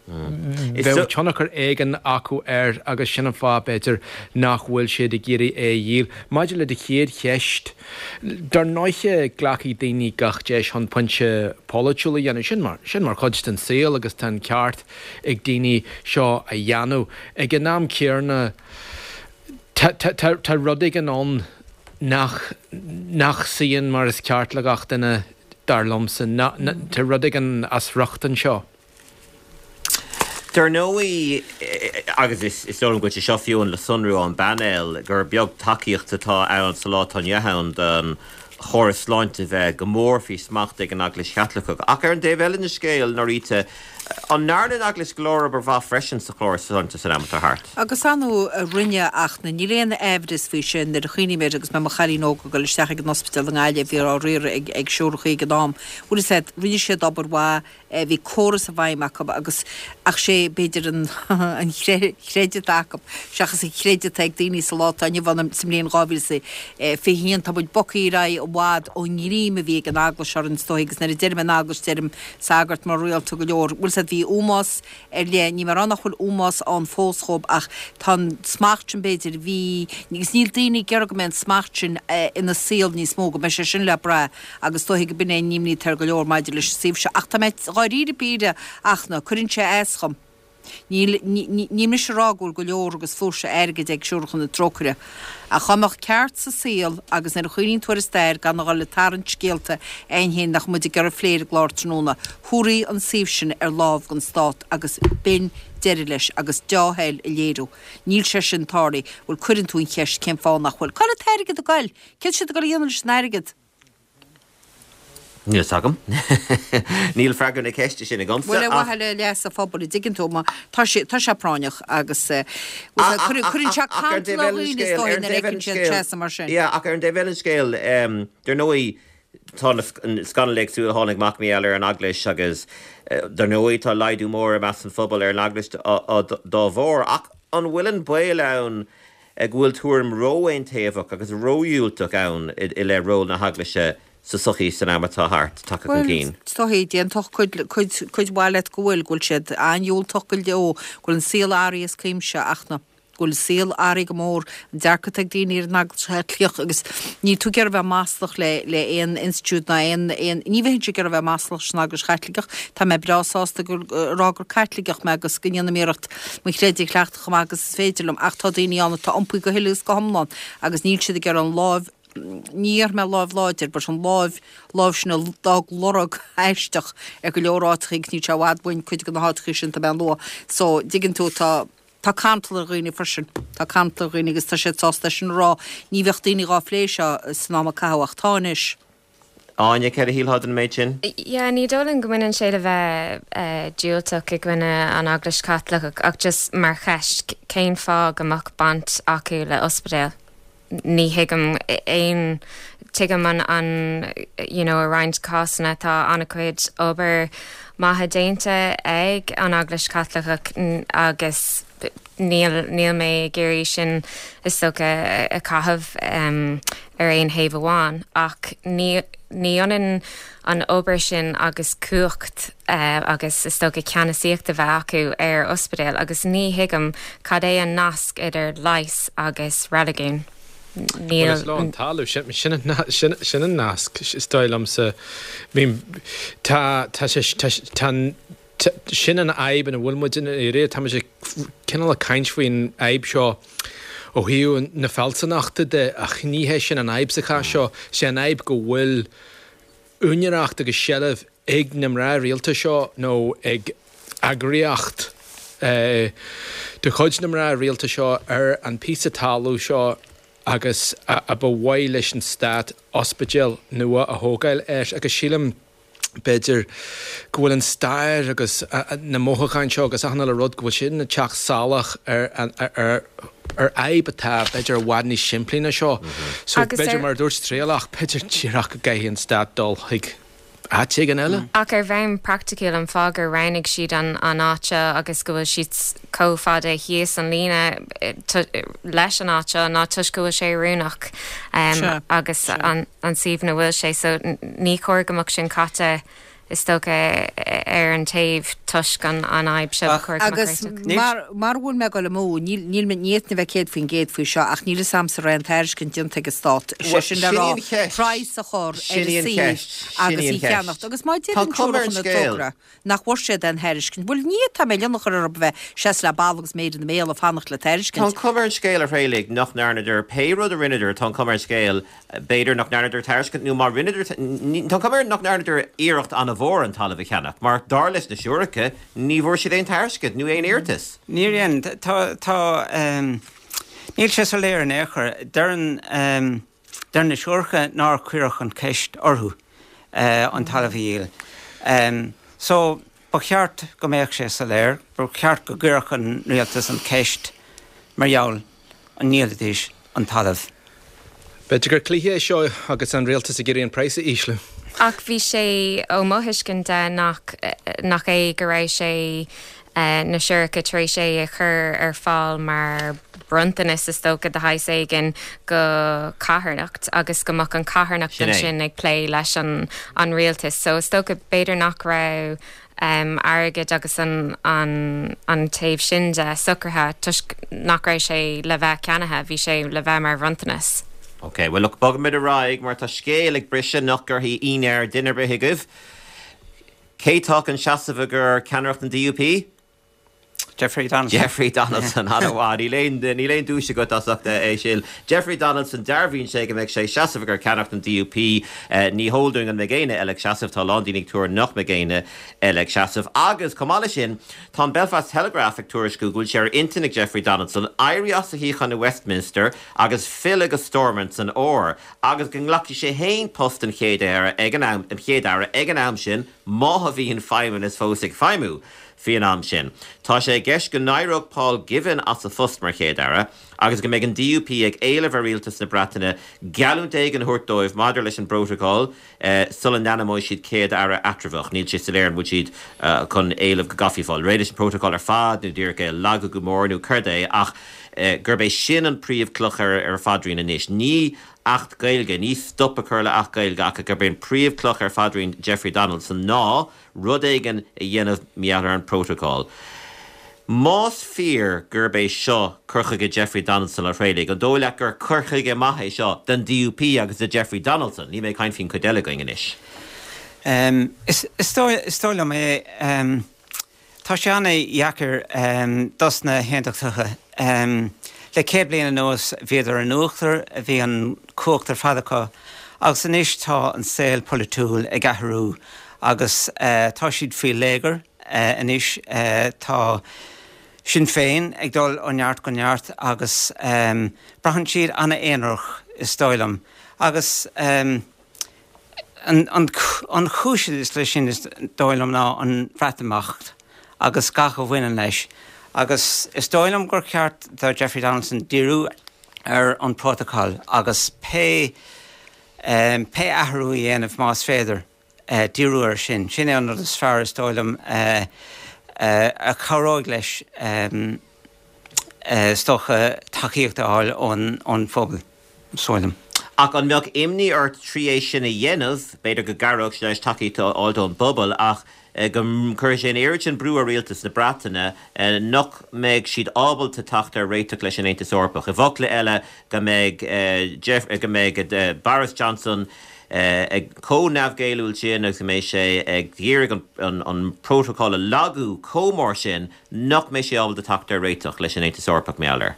Bheadh tionchar éigin acu air agus sin an fáth, b'fhéidir, nach bhfuil siad ag iarraidh é a dhíol. Maidir le do chéad cheist, dar ndóiche glacfaidh daoine gach deis chun pointe polaitiúil a dhéanamh. Sin mar, sin mar chuid den saol agus tá an ceart ag daoine seo a dhéanamh. Ag an am céanna, tá, tá, tá, tá rud éigin ann nach, nach suíonn mar is ceart le gach duine, dar liomsa. Na, na, tá rud éigin as riocht anseo. Dar ndóigh, agus is dóigh liom go bhfuil sé seo fiú le sonrú ón bpainéal, gur beag tacaíocht atá ann sa lá atá inniu ann don chóras sláinte bheith go mór faoi smacht ag an Eaglais Chaitliceach. Ach ar an dtaobh eile den scéal, Norita, An ndearna an Eaglais go leor obair mhaith freisin sa chóras sláinte san am atá thart? Agus ar ndóigh rinne ach níl aon aimhreas faoi sin nuair a chuimhním air agus mé mo chailín óg ag dul isteach ag an ospidéal i nGaillimh bhí á riaradh ag ag siúrachaí ag an am. Bhfuil fhios a'd, rinne siad obair mhaith, bhí córas i bhfeidhm acu agus ach sé b'fhéidir an an chreideamh atá acu seachas an chreideamh atá ag daoine sa lá atá inniu ann sa mbliain dhá mhíle is a fiche haon tá muid bogtha ar aghaidh i bhfad ón ngreim a bhí ag an Eaglais orainn is dóigh agus nuair a deirim an Eaglais deirim sagart mná rialta go leor. Bhfuil fhios a'd bhí ómós ar leith, níl mé ag rá nach bhfuil ómós ann fós dhób ach tá an smacht sin b'fhéidir, bhí, agus níl daoine ag iarraidh go mbeidh an smacht sin ina saol níos mó, go mbeidh sé sin le brath agus is dóiche go b'in é an imní atá ar go leor maidir leis an suíomh seo. Ach tá mé dháiríre píre ach na, cuireann sé as dhom. Níl, níl mise ag rá go bhfuil go leor agus flúirse airgid ag Siúracha na Trócaire. Ach dá mbeadh ceart sa saol agus nuair a chuimhníonn tú ar an stair gan a dhul ag tarraingt scéalta againn féin nach muid ag iarraidh a phlé ar an gclár tráthnóna, thabharfaí an suíomh sin ar lámh don Stát agus b'in deireadh leis agus deá-thoil a léiriú. Níl sé sin tarlaithe. Bhuel cuireann tú an cheist cén fáth nach bhfuil. Cá bhfuil an t-airgead ag goil? Céard tá siad ag goil a dhéanamh leis an airgead? Níl fhios agam. Níl freagra na ceiste sin agamsa Bhuel, ar ach. mhaithe le leas an phobail, an dtuigeann tú, má tá sé, tá sé práinneach agus eh, bhuel, Ach, cuireann ach, cuireann sé ach, ach ar an cantal dtaobh ar eile den dhaoine is scéal, dóigh ar an nuair a dtaobh eile fheiceann den siad scéal, trasna mar sin. yeah, ach ar an dtaobh eile den scéal, em, dar ndóigh, tá na scannail éagsúla a tháinig amach mar gheall ar an Eaglais agus, eh, dar ndóigh, tá laghdú mór i meas an phobail ar an Eaglais dá bharr. Ach an bhfuil an baol ann go bhfuil tuairim ró-aontaobhach agus ródhiúltach ann i leith ról na hEaglaise sa tsochaí san am atá thart, tagtha chun Bhuel, cinn? is dóichí, d'aontódh cuid, cuid, cuid mhaith leat go bhfuil, go bhfuil siad an-dhiúltach go leor, go bhfuil an saol athraithe as cuimse ach na, go bhfuil an saol athraithe go mór, an dearcadh atá ag daoine ar an Eaglais Chaitliceach agus níl tú ag iarraidh bheith maslach le, le aon institiúid ná aon, aon, ní bheinnse ag iarraidh bheith maslach leis an Eaglais Chaitliceach, tá mé breá sásta gur, a rá gur Caitliceach mé agus go ndéanaim iarracht mo chreideamh a chleachtadh chomh maith agus is féidir liom ach tá daoine ann atá iompaithe go huile is go hiomlán agus níl siad ag iarraidh an láimh ní déarfaidh mé láimh láidir, but an láimh, láimh sin a d'fhág lorg aisteach ar go leor áiteachaí agus níl sé i bhfad uainn cuid de na háiteachaí sin atá mé a lua. So, dtuigeann tú, tá, tá cantal ar dhaoine freisin, tá cantal ar dhaoine agus tá siad sásta é sin a rá. Ní bheadh daoine dhá phlé seo san am a caitheadh ach tá anois. Áine, céard a shílfeá den méid sin? Yeah, ní dóigh liom go mbaineann sé le bheith eh, diúltach i gcoinne an Eaglais Chaitliceach ach just mar cheist cén fáth go mbeadh baint acu le ospidéal. Ní thuigim aon tuigim an an you know, i roinnt cásanna tá an-chuid obair maith déanta ag an Eaglais Chaitliceach agus níl níl mé ag iarraidh sin is dócha a chaitheamh um, ar aon thaobh amháin ach ní ní ionann an obair sin agus cumhacht uh, agus is dócha ceannasaíocht a bheith acu ar ospidéal agus ní thuigim cad é an nasc idir leigheas agus reiligiún. Níl is lá an talamh sin sin sin an nasc is dóigh liomsa tá tá sé tá sin an fhadhb ina bhfuil muid in éire tá sé cineál ag caint faoin fhadhb seo ó thaobh na fealsúnachta de ach ní hé sin an fhadhb sa chás seo sé an fhadhb go bhfuil úinéireacht agus seilbh ag na mná rialta seo nó ag eagraíocht eh, de chuid na mná rialta seo ar an píosa talamh seo agus a, a ba mhaith leis an stát ospidéal nua a thógáil air agus sílim b'fhéidir go bhfuil an stair agus na mothúcháin seo agus achan rud go bhfuil sin ag teacht salach ar ar ar ar fhadhb atá b'fhéidir i bhfad níos simplí ná seo. So Agus b'fhéidir ar- mar dúirt Traolach b'fhéidir díreach go gcaithfidh an stát dul chuig áit éigin eile. Ach ar bhonn praiticiúil an fáth gur roghnaigh siad an an áit seo agus go bhfuil siad chomh fada thíos an líne eh, leis an áit seo ná toisc go bhfuil sé oiriúnach um, Sure, agus sure. an, an suíomh ina bhfuil sé so n- ní chóir go mbeadh sin caite is dócha ar an taobh toisc an an fhadhb seo Ach- chóir go mbeadh Agus réiteach. mar mar bhfuil mé go mó níl níl ní na bheith céad faoin gcéad faoi seo ach níl a fhios a'msa raibh aon tairiscint déanta ag an stát Well, sé sin le sin rá í an cheist. praghas a chur ar Sin í an suíomh cheist. Sin agus í an í cheannacht cheist. agus má Tá cuma ar an na scéal. tógra nach bhfuair siad an tairiscint Bhuel ní tá mé lena chur ar bheith seas le ball agus méid na méal a fanacht le Tá tairiscint. cuma ar an scéal a Thraolaigh nach ndearnadar pé rud a rinneadar tá cuma ar an scéal b'fhéidir nach ndearnadar tairiscint nó má rinneadar tá cuma nach ndearnadar iarracht an-mhór an talamh a cheannach, mar dar leis na siúracha ní bhfuair siad aon tairiscint nó aon iarratas. Níor dhein tá tá um, níl sé soiléir in aon chor deireann um, deir na siúracha nár cuireadh an cheist orthu uh, an talamh a dhíol. Um, so Ba cheart go mbeadh sé soiléir, ba cheart go gcuirfeadh an rialtas an ceist mar gheall an ndíolfaidís an talamh. B'fhéidir gur cluiche é seo agus an rialtas ag iarraidh an praghas a ísliú. Ach bhí sé ó mo thuiscint de nach nach é go raibh sé na Siúracha tar éis é a chur ar fáil mar bronntanas is dócha de shaghas éigin go carthanacht agus go mbeadh an carthanacht ansin ag plé leis an an rialtas. So is dócha b'fhéidir nach raibh um, airgead agus an, an, an taobh sin de socraithe toisc nach raibh sé le bheith ceannaithe, bhí sé le bheith mar bhronntanas. Ok, well look bogfaimid ar aghaidh mar tá scéal ag briseadh nach gcuirfidh ionadh ar dhuine ar bith agaibh. Cé tá chun seasamh i gcomhair ceannaireacht an D U P? Jeffrey Donaldson. Jeffrey Donaldson, an-mhaith, níl aon níl aon duais agat as ucht é sin. Jeffrey Donaldson, dearbhaíonn sé go mbeidh sé ag seasamh i gcomhair ceannaireacht an D U P. Ní heol dúinn an mbeidh éinne eile ag seasamh, tá a lán daoine ag tuar nach mbeidh éinne eile ag seasamh. Agus chomh maith leis sin, tá an Belfast Telegraph ag tuairisciú go bhfuil sé ar intinn ag Jeffrey Donaldson éirí as a shuíochán i Westminster agus filleadh go Stormont san fhómhar agus go nglacfaidh sé féin post an chéad aire ag an am an chéad aire ag an am sin má bhíonn feidhmeannas fós ag feidhmiú faoin am sin. Tá sé i gceist go n-éireodh Paul Givan as a phost mar chéad aire agus go mbeidh an D U P ag éileamh ar rialtas na Breataine geallúint éigin a thabhairt dóibh maidir leis an bprótacal sula n-ainmneoidh siad céad aire eatramhach. Níl sé soiléir an bhfuil siad chun éileamh go gcaithfí fáil réidh leis an bprótacal ar fad nó díreach é a lagú go mór nó céard é ach gurb é sin an príomhchloch ar ar phaidrín anois. Ní Acht Gaeilge, ní stop a chur le Acht Gaeilge ach gurb é an príomhchloch ar phaidrín Jeffrey Donaldson ná rud éigin a dhéanamh mar gheall ar an bprótacal. Más fíor gurb é seo cur chuige Jeffrey Donaldson a Thraolaigh, an dóigh leat gur cur chuige maith é seo don D U P agus do Jeffrey Donaldson? Níl mé ag caint faoin chuid eile againn anois. Is dóigh liom é. Tá sé an-dheacair dos na hAontachtaithe. Le céad bliain anuas bhíodar in uachtar, bhí an cumhacht ar fad acu agus anois tá an saol polaitiúil ag athrú agus tá siad faoi léigear anois. Tá Sinn Féin ag dul ó neart go neart agus braitheann siad an-aonarach is dóigh liom. Agus an an chúis is leis sin is dóigh liom ná an Bhreatimeacht agus gach a bhaineann leis. Agus is dóigh liom gur cheart do Jeffrey Donaldson díriú ar an bprótacal agus pé pé athrú a dhéanamh más féidir díriú air sin. Sin é an rud is fearr is dóigh liom a chabhróidh leis is dócha tacaíocht a fháil ón ón phobal, is dóigh liom. Ach an mbeadh imní ort trí é sin a dhéanamh, b'fhéidir go gcabhródh sé leis tacaíocht a fháil ón bpobal ach go gcuirfidh sé an oiread sin brú ar rialtas na Breataine nach mbeidh siad ábalta teacht ar réiteach leis an Aontas Eorpach. I bhfocla eile go mbeidh Jeff go mbeidh Boris Johnson ag chomh neamhghéilliúil sin agus go mbeidh sé ag iarraidh an an prótacal a lagú chomh mór sin nach mbeidh sé ábalta teacht ar réiteach leis an Aontas Eorpach mar gheall air.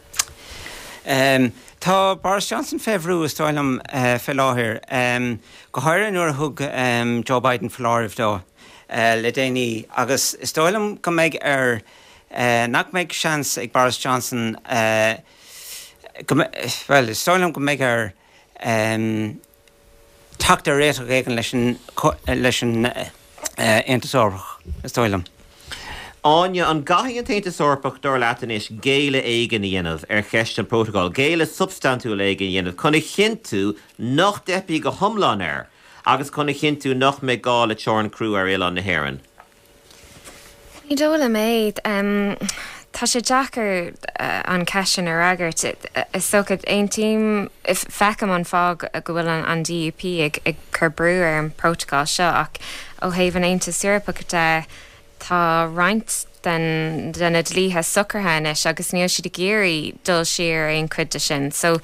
Um, tá Boris Johnson fé bhrú is dóigh liom uh, fé láthair. Um, go háirithe nuair a thug um, Joe Biden foláireamh dó uh, le déanaí agus is dóigh liom go mbeidh air uh, nach mbeidh seans ag Boris Johnson uh, go, well, is dóigh liom go mbeidh air um, teacht ar réiteach éigin leis an leis an uh, Aontas Eorpach is dóigh liom. Áine, an gcaithfidh an tAontas Eorpach dar leat anois géilleadh éigin a dhéanamh ar cheist an prótacal, géilleadh substaintiúil éigin a dhéanamh chun a chinntiú nach dteipfidh go hiomlán air agus chun a chinntiú nach mbeidh gá le teorainn chrua ar oileán na hÉireann. Ní dóigh liom é um, tá sé deacair uh, an cheist sin a fhreagairt. Is dócha aontaím feicim an fáth go bhfuil an, an D U P ag, ag cur brú ar an prótacal seo ach ó thaobh an Aontas Eorpach de tá roinnt den de na dlíthe socraithe anois agus níl siad ag iarraidh dul siar aon chuid de sin. So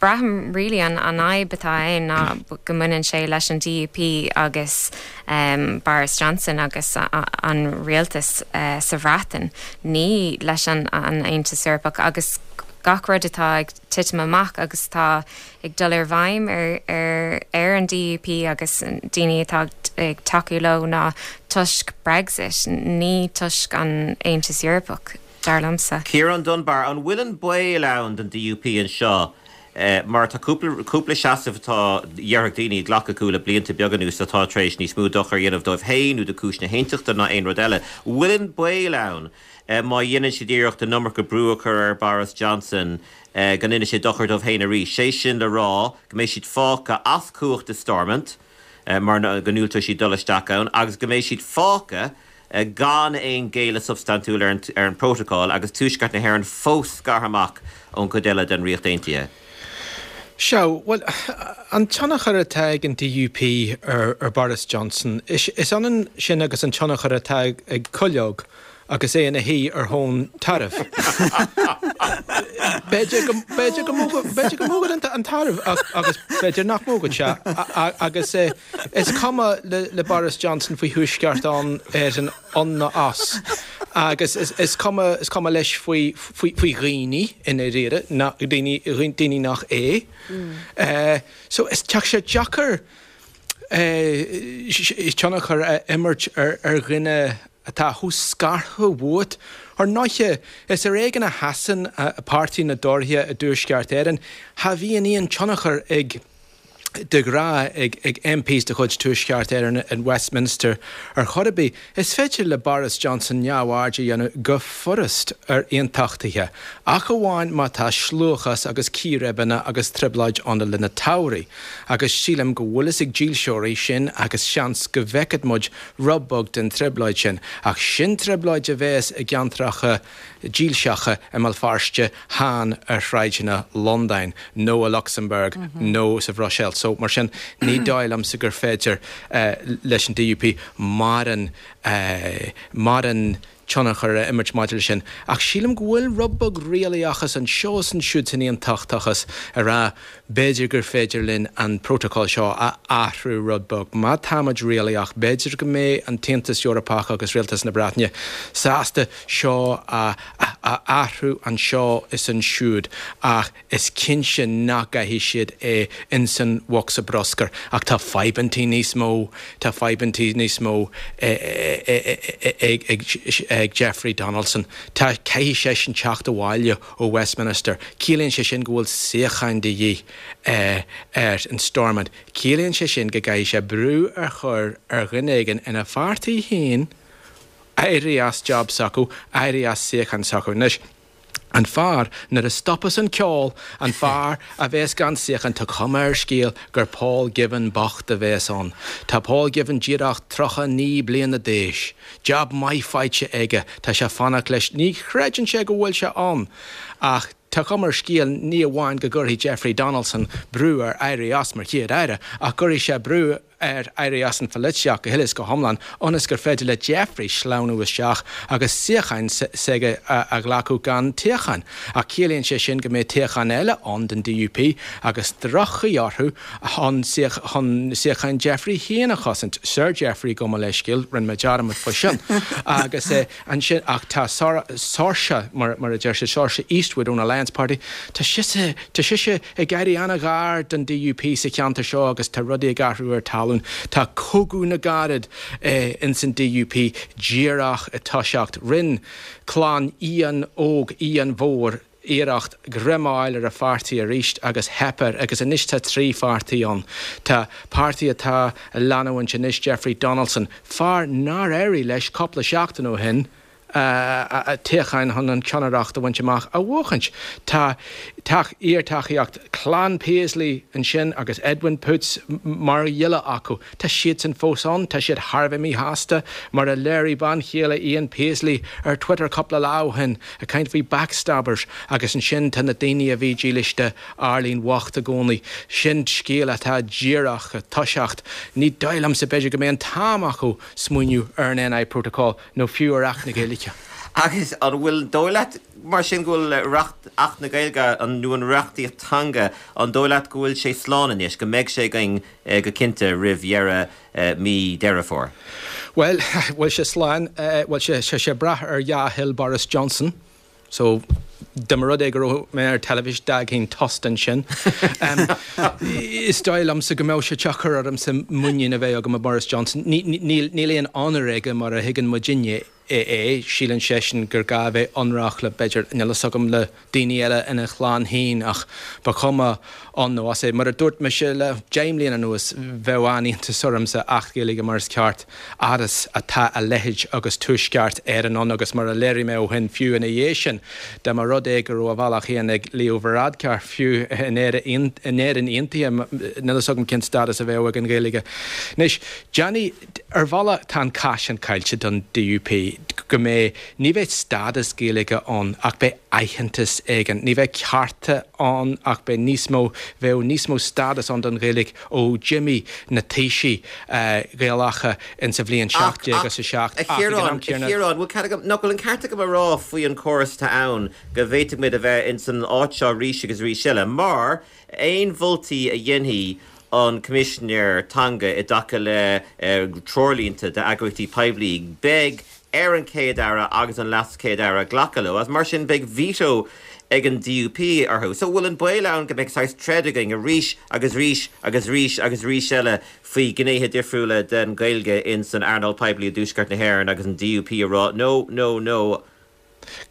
braithim really an an fhadhb atá ann ná go mbaineann sé leis an D U P agus um, Boris Johnson agus a, a, an rialtas uh, sa Bhreatain, ní leis an, an Aontas Eorpach agus gach rud atá ag titim amach agus tá ag dul i bhfeidhm ar, ar, ar an D U P agus daoine atá ag tacú leo ná toisc Brexit, ní toisc an Aontas Eorpach dar liomsa. Ciarán Dunbar, an bhfuil an baol ann don D U P anseo Mar tá cúpla cúpla seasamh atá dhéarfadh daoine glactha acu le blianta beaga anuas atá tar éis níos mó dochar a dhéanamh dóibh féin nó do chúis na haontachta ná aon rud eile. Bhfuil an baol ann má dhéanann siad iarracht an iomarca brú a chur ar Boris Johnson go ndéanfaidh sé dochar dóibh féin arís? Sé sin le rá go mbeidh siad fágtha as cumhacht i Stormont mar go ndiúltóidh siad dul isteach ann agus go mbeidh siad fágtha gan aon ghéilleadh substaintiúil ar an ar an bprótacal agus Tuaisceart na hÉireann fós scartha amach ón gcuid eile den Ríocht Aontaithe. Sea, bhuel, an tionchar atá ag an D U P ar ar Boris Johnson, is is ionann sin agus an tionchar atá ag cuileog agus é ina shuí ar thóin tairbh. B'fhéidir go b'fhéidir go b'fhéidir go mbugann an tarbh agus b'fhéidir nach mbugann sé agus is cuma le le Boris Johnson faoi Thuaisceart an Éireann ann nó as agus is is cuma is cuma leis faoi faoi faoi dhaoine i ndáiríre na daoine daoine nach é. So is tá sé deacair tionchar a imirt ar ar dhuine atá chomh scartha uait. Ar ndóighe, is ar éigean a sheasann páirtí na dTóraithe i dTuaisceart Éireann. Cha bhíonn aon tionchar ag de ghnáth ag ag M Ps de chuid Tuaisceart Éireann in Westminster ar chor ar bith. Is féidir le Boris Johnson neamhaird a dhéanamh go furast ar aontachtaithe, ach amháin má tá sluachás agus círéibeanna agus trioblóid ann le linn na toghráin, agus sílim go bhfuil fhios ag dílseoirí sin agus seans go bhfeicfidh muid rud beag den trioblóid sin, ach sin trioblóid a bheas i gceantracha dílseacha i mBéal Feirste, chan ar shráideanna Londain nó i Lucsamburg nó sa Bhruiséil. So mar sin ní dóigh liomsa gur féidir leis an D U P mórán mórán tionchar a imirt maidir leis sin. Ach sílim go bhfuil rud beag réalaíochas anseo is ansiúd san aontachtachas a rá b'fhéidir gur féidir linn an prótacal seo a athrú rud beag. Má táimid réalaíoch, b'fhéidir go mbeidh an tAontas Eorpach agus Rialtas na Breataine sásta seo a a athrú anseo is ansiúd ach is cinnte nach gcaithfidh siad é insan bhosca bruscair. Ach tá fadhbantaí níos mó, tá fadhbantaí níos mó ag ag Jeffrey Donaldson. Tá caithfidh seisean teacht abhaile ó Westminster. Ciallaíonn sé sin go bhfuil suíocháin de dhíth ar an Stormont. Ciallaíonn sé sin go gcaithfidh sé brú a chur ar dhuine éigin ina pháirtí féin éirí as job s'acu, éirí as suíochán s'acu. Anois, an fear nuair a stopas an ceol, an fear a bheas gan suíochán, tá cuma ar scéal gur Paul Givan bocht a bheas ann. Tá Paul Givan díreach tríocha naoi bliana d'aois. Job maith faighte aige, tá sé fanacht leis, ní chreideann sé go bhfuil sé ann. Ach tá cuma ar scéal ní amháin go gcuirfidh Jeffrey Donaldson brú air éirí as mar chéad aire, ach cuirfidh sé brú air éirí as an pholaitíocht go huile is go hiomlán ionas gur féidir le Jeffrey sleamhnú isteach agus suíochán s'aige a ghlacadh gan toghchán. Ach ciallaíonn sé sin go mbeidh toghchán eile ann don D U P agus droch-chaoi orthu chun chun suíochán Jeffrey féin a chosaint. Sir Jeffrey, gabh mo leithscéal, rinne mé dearmad faoi sin. Agus ansin ach tá Saoirse mar mar a deir sé Saoirse Eastwood ón Alliance Party, tá sise tá sise ag éirí an-ghar don D U P sa cheantar seo agus tá rudaí ag athrú ar talún. Tá cogadh na gcarad eh, ins an D U P díreach ag toiseacht. Rinne clann Ian Óg Ian Mhór iarracht greim a fháil ar a pháirtí arís agus theip air agus anois tá trí pháirtí ann. Tá páirtí atá a leanúint anois Jeffrey Donaldson, fear nár éirigh leis cúpla seachtain ó shin, toghchán chun an ceannaireacht a bhaint amach a bhuachaint. Tá iar-tacaíocht clann Paisley ansin agus Edwin Poots mar ghiolla acu. Tá siadsan fós ann, tá siad thar a bheith míshásta mar a léirigh bean chéile Ian Paisley ar Twitter cúpla lá ó shin ag caint faoi backstabbers agus ansin tá na daoine a bhí dílis d'Arlene bhocht i gcónaí. Sin scéal atá díreach ag toiseacht. Ní dóigh liomsa b'fhéidir go mbeidh an t-am acu smaoineamh ar an N I Protocol nó fiú ar Acht na Gaeilge. Agus an bhfuil dóigh leat mar sin go bhfuil reacht Acht na Gaeilge an nó an reachtaíocht teanga an dóigh leat go bhfuil sé slán anois go mbeidh sé againn go cinnte roimh dheireadh mí Deireadh Fómhair? Well, bhfuil sé slán, bhfuil sé sé sé brath ar dhea-thoil Boris Johnson, so Dá mba rud é go raibh mé ar teilifís d'fhágfainn tost ansin. Is dóigh liomsa go mbeadh sé deacair ormsa muinín a bheith agam i Boris Johnson. Níl aon onóir aige mar a thuigeann muidinne é. Síleann seisean gur gá a bheith ionraic le, b'fhéidir, níl fhios agam, le daoine eile ina chlann féin ach ba chuma ann nó as é. Mar a dúirt mise le deich mbliana anuas, bheadh an-iontas ormsa Acht Gaeilge mar is ceart fhad is atá a leithéid agus Tuaisceart Éireann ann agus mar a léirigh mé ó shin fiú ina dhiaidh sin, dá mba rud é go raibh a bhealach féin ag Leo Varadkar fiú in Éirinn Aontaithe, níl fhios agam cén stádas a bheadh ag an Ghaeilge. Anois, déanfaidh, ar bhealach tá an cath sin caillte don DUP, go mbeidh, ní bheidh stádas Gaeilge ann ach beidh aitheantas éigin, ní bheidh cearta ann ach beidh níos mó, bheadh níos mó stádas ann don Ghaeilge ó d'imigh na taoisigh Ghaelacha in sa bhliain seacht déag is a seacht ach ag an am céanna. A Chiaráin, bhfuil cead agam, nach bhfuil an ceart agam a rá faoi an córas atá ann go bhféadfadh muid a bheith in san áit seo arís agus arís eile mar aon mholtaí a dhéanfaidh an Coimisinéir Teanga i dtaca le treoirlínte d'eagraíochtaí poiblí, beidh ar an Chéad-Aire agus an LeasChéad-Aire glacadh leo, agus mar sin beidh veto ag an DUP orthu. So bhfuil an baol ann go mbeidh saghas troid againn arís agus arís agus arís agus arís eile faoi ghnéithe difriúla den Ghaeilge in san earnáil poiblí i dTuaisceart na hÉireann agus an DUP ag rá no, no, no.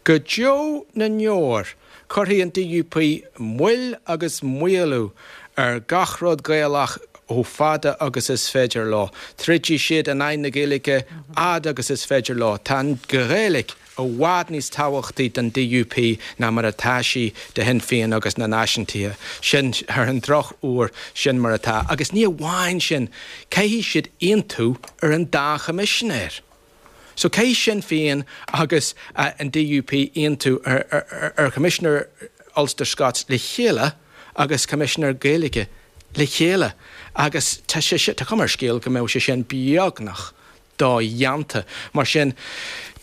Go deo na ndeor, cuirfidh an DUP moill agus maolú ar gach rud Gaelach chomh fada agus is féidir leo. Troidfidh siad in aghaidh na Gaeilge fhad agus is féidir leo. Tá an Ghaeilge i bhfad níos tábhachtaí don DUP ná mar atá sí do Shinn Féin agus na Náisiúntaithe. Sin, ar an drochuair, sin mar atá. Agus ní amháin sin, caithfidh siad aontú ar an dá choimisinéir. So caithfidh Sinn Féin agus an DUP aontú ar Choimisinéir Ulster Scots le chéile agus Coimisinéir Gaeilge le chéile agus tá sé sin, tá cuma ar an scéal go mbeadh sé sin beagnach dodhéanta. Mar sin,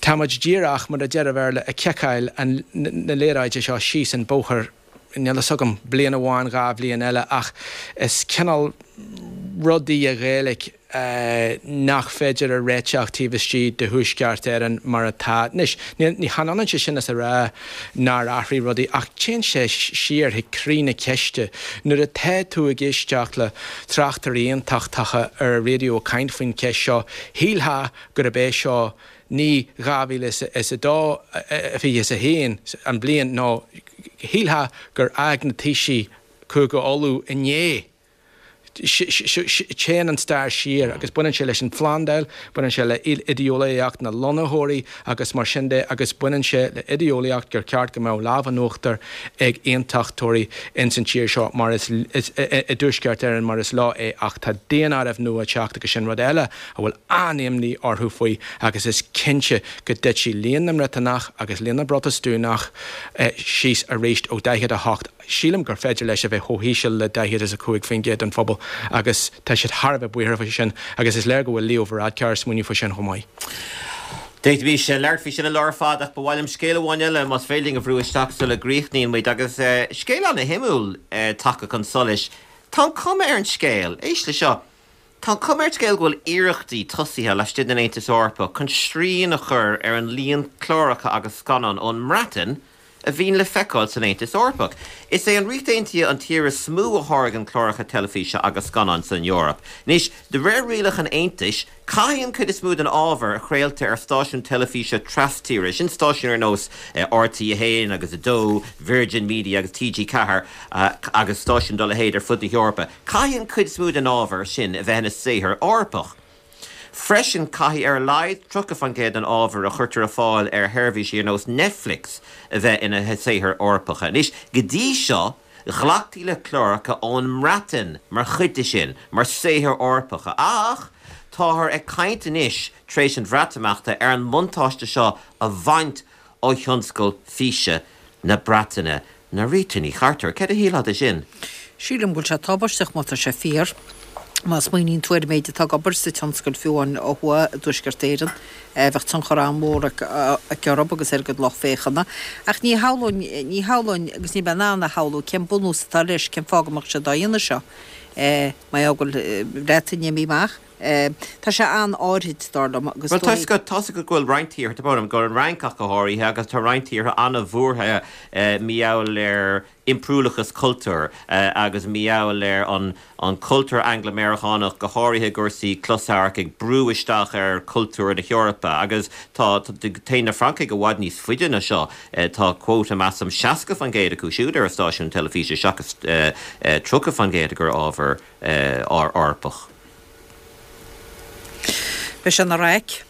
tá muid díreach, mar a deir an Béarla, ag ciceáil na liathróide seo síos an bóthar, níl fhios agam, bliain amháin, dhá bhliain eile, ach is cineál rud í an Ghaeilge nach féidir a réiteach taobh istigh de Thuaisceart Éireann mar atá anois. Ní hionann sé sin is a rá nár athraigh rudaí ach téann sé siar chuig croí na ceiste. Nuair atá tú ag éisteacht le tráchtairí aontachtacha ar an raidió ag caint faoin cheist seo, shílfeá gurb é seo ní dhá mhíle is a dó, fiche is a haon an bhliain nó shílfeá gur fhág na taoisigh Cúige Uladh inné. Téann an stair siar agus baineann sé leis an phlandáil, baineann sé le idé-eolaíocht na lonnaitheoirí agus mar sin de agus baineann sé le idé-eolaíocht gur ceart go mbeadh lámh in uachtar ag aontachtóirí ins an tír seo mar is i dTuaisceart Éireann mar is leo é ach tá daonáireamh nua ag teacht agus sin rud eile a bhfuil an-imní orthu faoi agus is cinnte go dtitfidh líon na mBriotanach agus líon na bProtastúnach síos arís ó daichead a hocht Sílim gur féidir leis a bheith chomh híseal le daichead is a cúig faoin gcéad den phobal agus tá siad thar a bheith buartha faoi sin agus is léir go bhfuil Leo Varadkar ag smaoineamh faoi sin chomh maith. D'fhéadfaimis labhairt faoi sin an lá ar fad ach ba mhaith liom scéal amháin eile más féidir linn a bhrú isteach sula gcríochnaíonn muid agus scéal ana-shuimiúil tagtha chun solais. Tá an chuma ar an scéal, éist le seo, tá an chuma ar an scéal go bhfuil iarrachtaí tosaithe laistigh den Aontas Eorpach chun srian a chur ar an líon cláracha agus scannán ón mBreatain a bhíonn le feiceáil san Aontas Eorpach. Is é an Ríocht Aontaithe an tír is mó a tháirgeann cláracha teilifíse agus scannán san Eoraip. Anois, de réir rialacha an Aontais, caithfidh an chuid is mó den ábhar a chraoltar ar stáisiúin teilifíse trastíre, sin stáisiúin ar nós RTÉ a haon agus a dó, Virgin Media agus TG Ceathair agus stáisiúin dá leithéid ar fud na hEorpa, caithfidh an chuid is mó den ábhar sin a bheith ina saothar Eorpach. Freisin, caithfidh ar a laghad tríocha faoin gcéad den ábhar a chuirtear ar fáil ar sheirbhísí ar nós Netflix a bheith ina saothair Eorpacha. Anois, go dtí seo, ghlactaí le cláracha ón mBreatain mar chuid de sin, mar saothair Eorpacha. Ach táthar ag caint anois, tar éis an Bhreatimeachta, ar an mbuntáiste seo a bhaint ó thionscal físe na Breataine. Norita Ní Chartúir, céard a shílfeá de sin? Sílim go bhfuil sé tubaisteach má tá sé fíor. Má smaoiníonn tú ar an méid atá ag obair sa tionscal fiú amháin ó thuaidh i dTuaisceart Éireann, bheadh tionchar an-mhór aici orthu agus ar a gcuid lucht féachana. Ach ní shamhlóinn, ní shamhlóinn agus níl mé in ann a shamhlú cén bunús atá leis, cén fáth go mbeadh siad á dhéanamh seo. Mar gheall go bhfuil an Bhreatain imithe amach, Tá sé an-áirid dar liom agus Bhuel, tá go tá go bhfuil roinnt tíortha, tá go an Fhrainc ach go háirithe agus tá roinnt tíortha an-bhuartha mar gheall ar impiriúlachas cultúir agus mar gheall ar an an cultúr Angla-Meiriceánach go háirithe cúrsaí closamhairc ag brú isteach ar cultúr na hEorpa agus tá téann na Francaigh i bhfad níos faide ná seo tá quota measaim seasca faoin gcéad acu siúd ar a stáisiún teilifíse seachas tríocha faoin gcéad gur ábhar Eorpach. Beidh sé ina raic.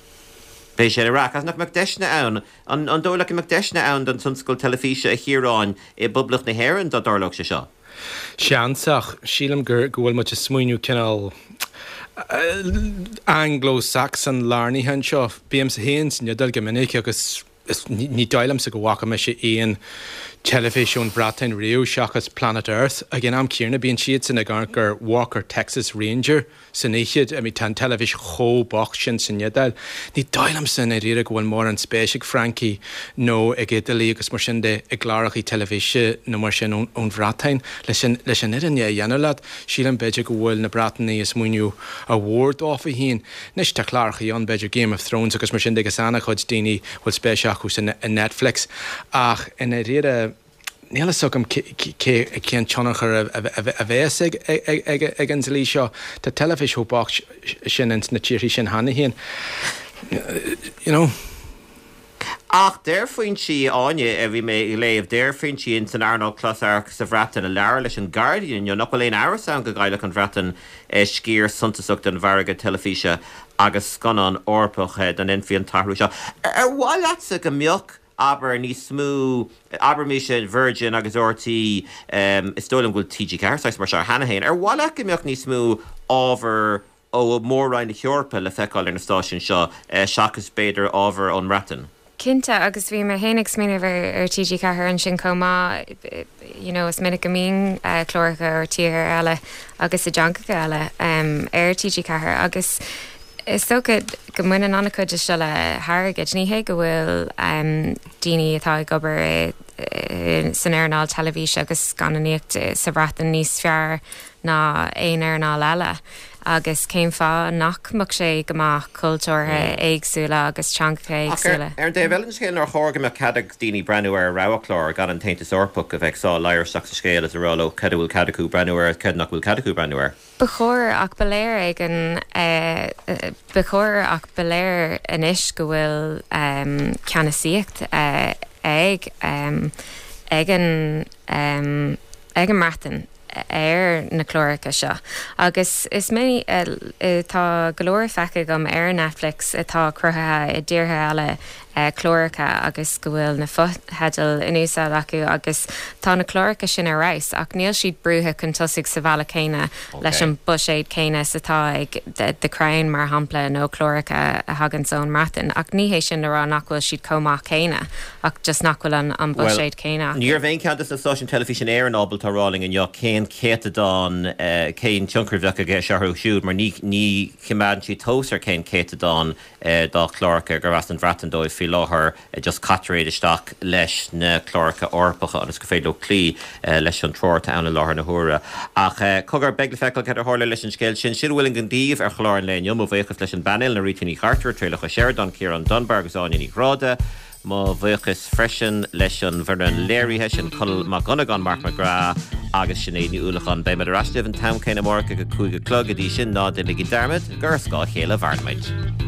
Beidh sé ina raic agus nach mbeadh deiseanna ann an an dóigh leat go mbeadh deiseanna ann don tionscal teilifíse a Chiaráin i bPoblacht na hÉireann dá dtarlódh sé seo. Seans ach sílim gur go bhfuil muid ag smaoineamh cineál Anglo-Saxon lárnaithe anseo. Bímse féin san Iodáil go minic agus ní dóigh liomsa go bhfaca mise aon teilifís ón Bhreatain riamh seachas Planet Earth. Ag an am céanna bíonn siadsan ag amharc ar Walker Texas Ranger san oíche. I mean, tá an teilifís chomh bocht sin san Iodáil. Ní dóigh liomsa i ndáiríre go bhfuil mórán spéis ag Francaigh nó ag Iodálaigh agus mar sin de i gcláracha teilifíse nó mar sin ón ón Bhreatain. Leis an leis an fhírinne a dhéanamh leat, sílim b'fhéidir go bhfuil na Breatanaigh ag smaoineamh ar mhór dófa féin. Anois tá cláracha ann b'fhéidir Game of Thrones agus mar sin de agus an-chuid daoine bhfuil spéis acu san i Netflix ach i ndáiríre níl a fhios agam cé cén tionchar a bheas ag ag ag an dlí seo. Tá teilifís chomh bocht sin ins na tíorthaí sin cheana féin. You know. Ach deir foinsí Áine a bhí mé ag léamh, deir foinsí in san earnáil closamhairc sa Bhreatain a labhair leis an Guardian inniu nach bhfuil aon amhras ann go gcaillfeadh an Bhreatain sciar suntasach den mhargadh teilifíse agus scannán Eorpach dá ndéanfaí an t-athrú seo. Ar mhaith leatsa go mbeadh abair níos mó abraimis Virgin agus RTÉ is dóigh liom go bhfuil TG Ceathair saghas mar seo cheana féin. Ar mhaith leat go mbeadh níos mó ábhar ó Mhór-Roinn na hEorpa le feiceáil ar na stáisiúin seo seachas b'fhéidir ábhar ón mBreatain? Cinnte agus bhí mé féin ag smaoineamh ar ar TG Ceathair ansin chomh maith you know, is minic go mbíonn uh, cláracha ó tíortha eile agus i dteangacha eile um, ar TG Ceathair agus is dócha go mbaineann an-chuid de seo le hairgead ní hé go bhfuil um, daoine atá ag obair san earnáil teilifíse agus scannánaíocht sa Bhreatain níos fearr ná aon earnáil eile. agus cén fáth nach mbeadh sé go maith cultúrtha éagsúla agus teangacha éagsúla. Ar an dtaobh eile den scéal nár chóir go mbeadh cead ag daoine breathnú ar roghchlár gan an tAontas Eorpach a bheith ag sá ladhar isteach sa scéal is a rá leo cad a bhfuil cead acu breathnú air cad nach bhfuil cead acu breathnú air. Ba chóir ach ba léir ag an ba chóir ach ba léir anois go bhfuil um, ceannasaíocht uh, ag um, ag an um, ag an mBreatain ar na cláracha seo. Agus is mé tá go leor feicthe agam ar Netflix atá cruthaithe i dtíortha eile cláracha agus go bhfuil na fotheidil in úsáid acu agus tá na cláracha sin ar fheabhas ach níl siad brúite chun tosaigh sa bhealach céanna leis an buiséad céanna is atá ag The Crown mar shampla nó cláracha a thagann ón mBreatain ach ní hé sin le rá nach bhfuil siad chomh maith céanna ach just nach bhfuil an an buiséad céanna. Ní raibh aon cheann de na stáisiúin teilifíse in Éirinn ábalta a rá linn inniu cén céatadán cén tionchar a bheadh aige seo orthu siúd mar ní ní choimeádann siad tomhas ar cén céatadán dá chláracha gur as an Bhreatain dóibh faoi láthair just caitear iad isteach leis na cláracha Eorpacha agus go féidir leo cloí leis an treoir atá ann i láthair na huaire. Ach cogar beidh le feiceáil cad a tharla leis an scéal sin. Sin a bhfuil againn daoibh ar chlár an lae inniu. Mo bhuíochas leis an bpainéal, na Rita Ní Chartúir, Traolach Ó Seireadáin, Ciarán Dunbar agus Áine Ní Ghráda. Mo bhuíochas freisin leis an bhfoireann léirithe sin Conall Mac Dhonnagáin, Mark McGrath agus Sinéad Ní Uallacháin. Beidh ar ais libh an t-am céanna amárach ag a cúig a chlog go dtí sin ná déanaigí dearmad gur ar scáth a chéile a mhaireann muid.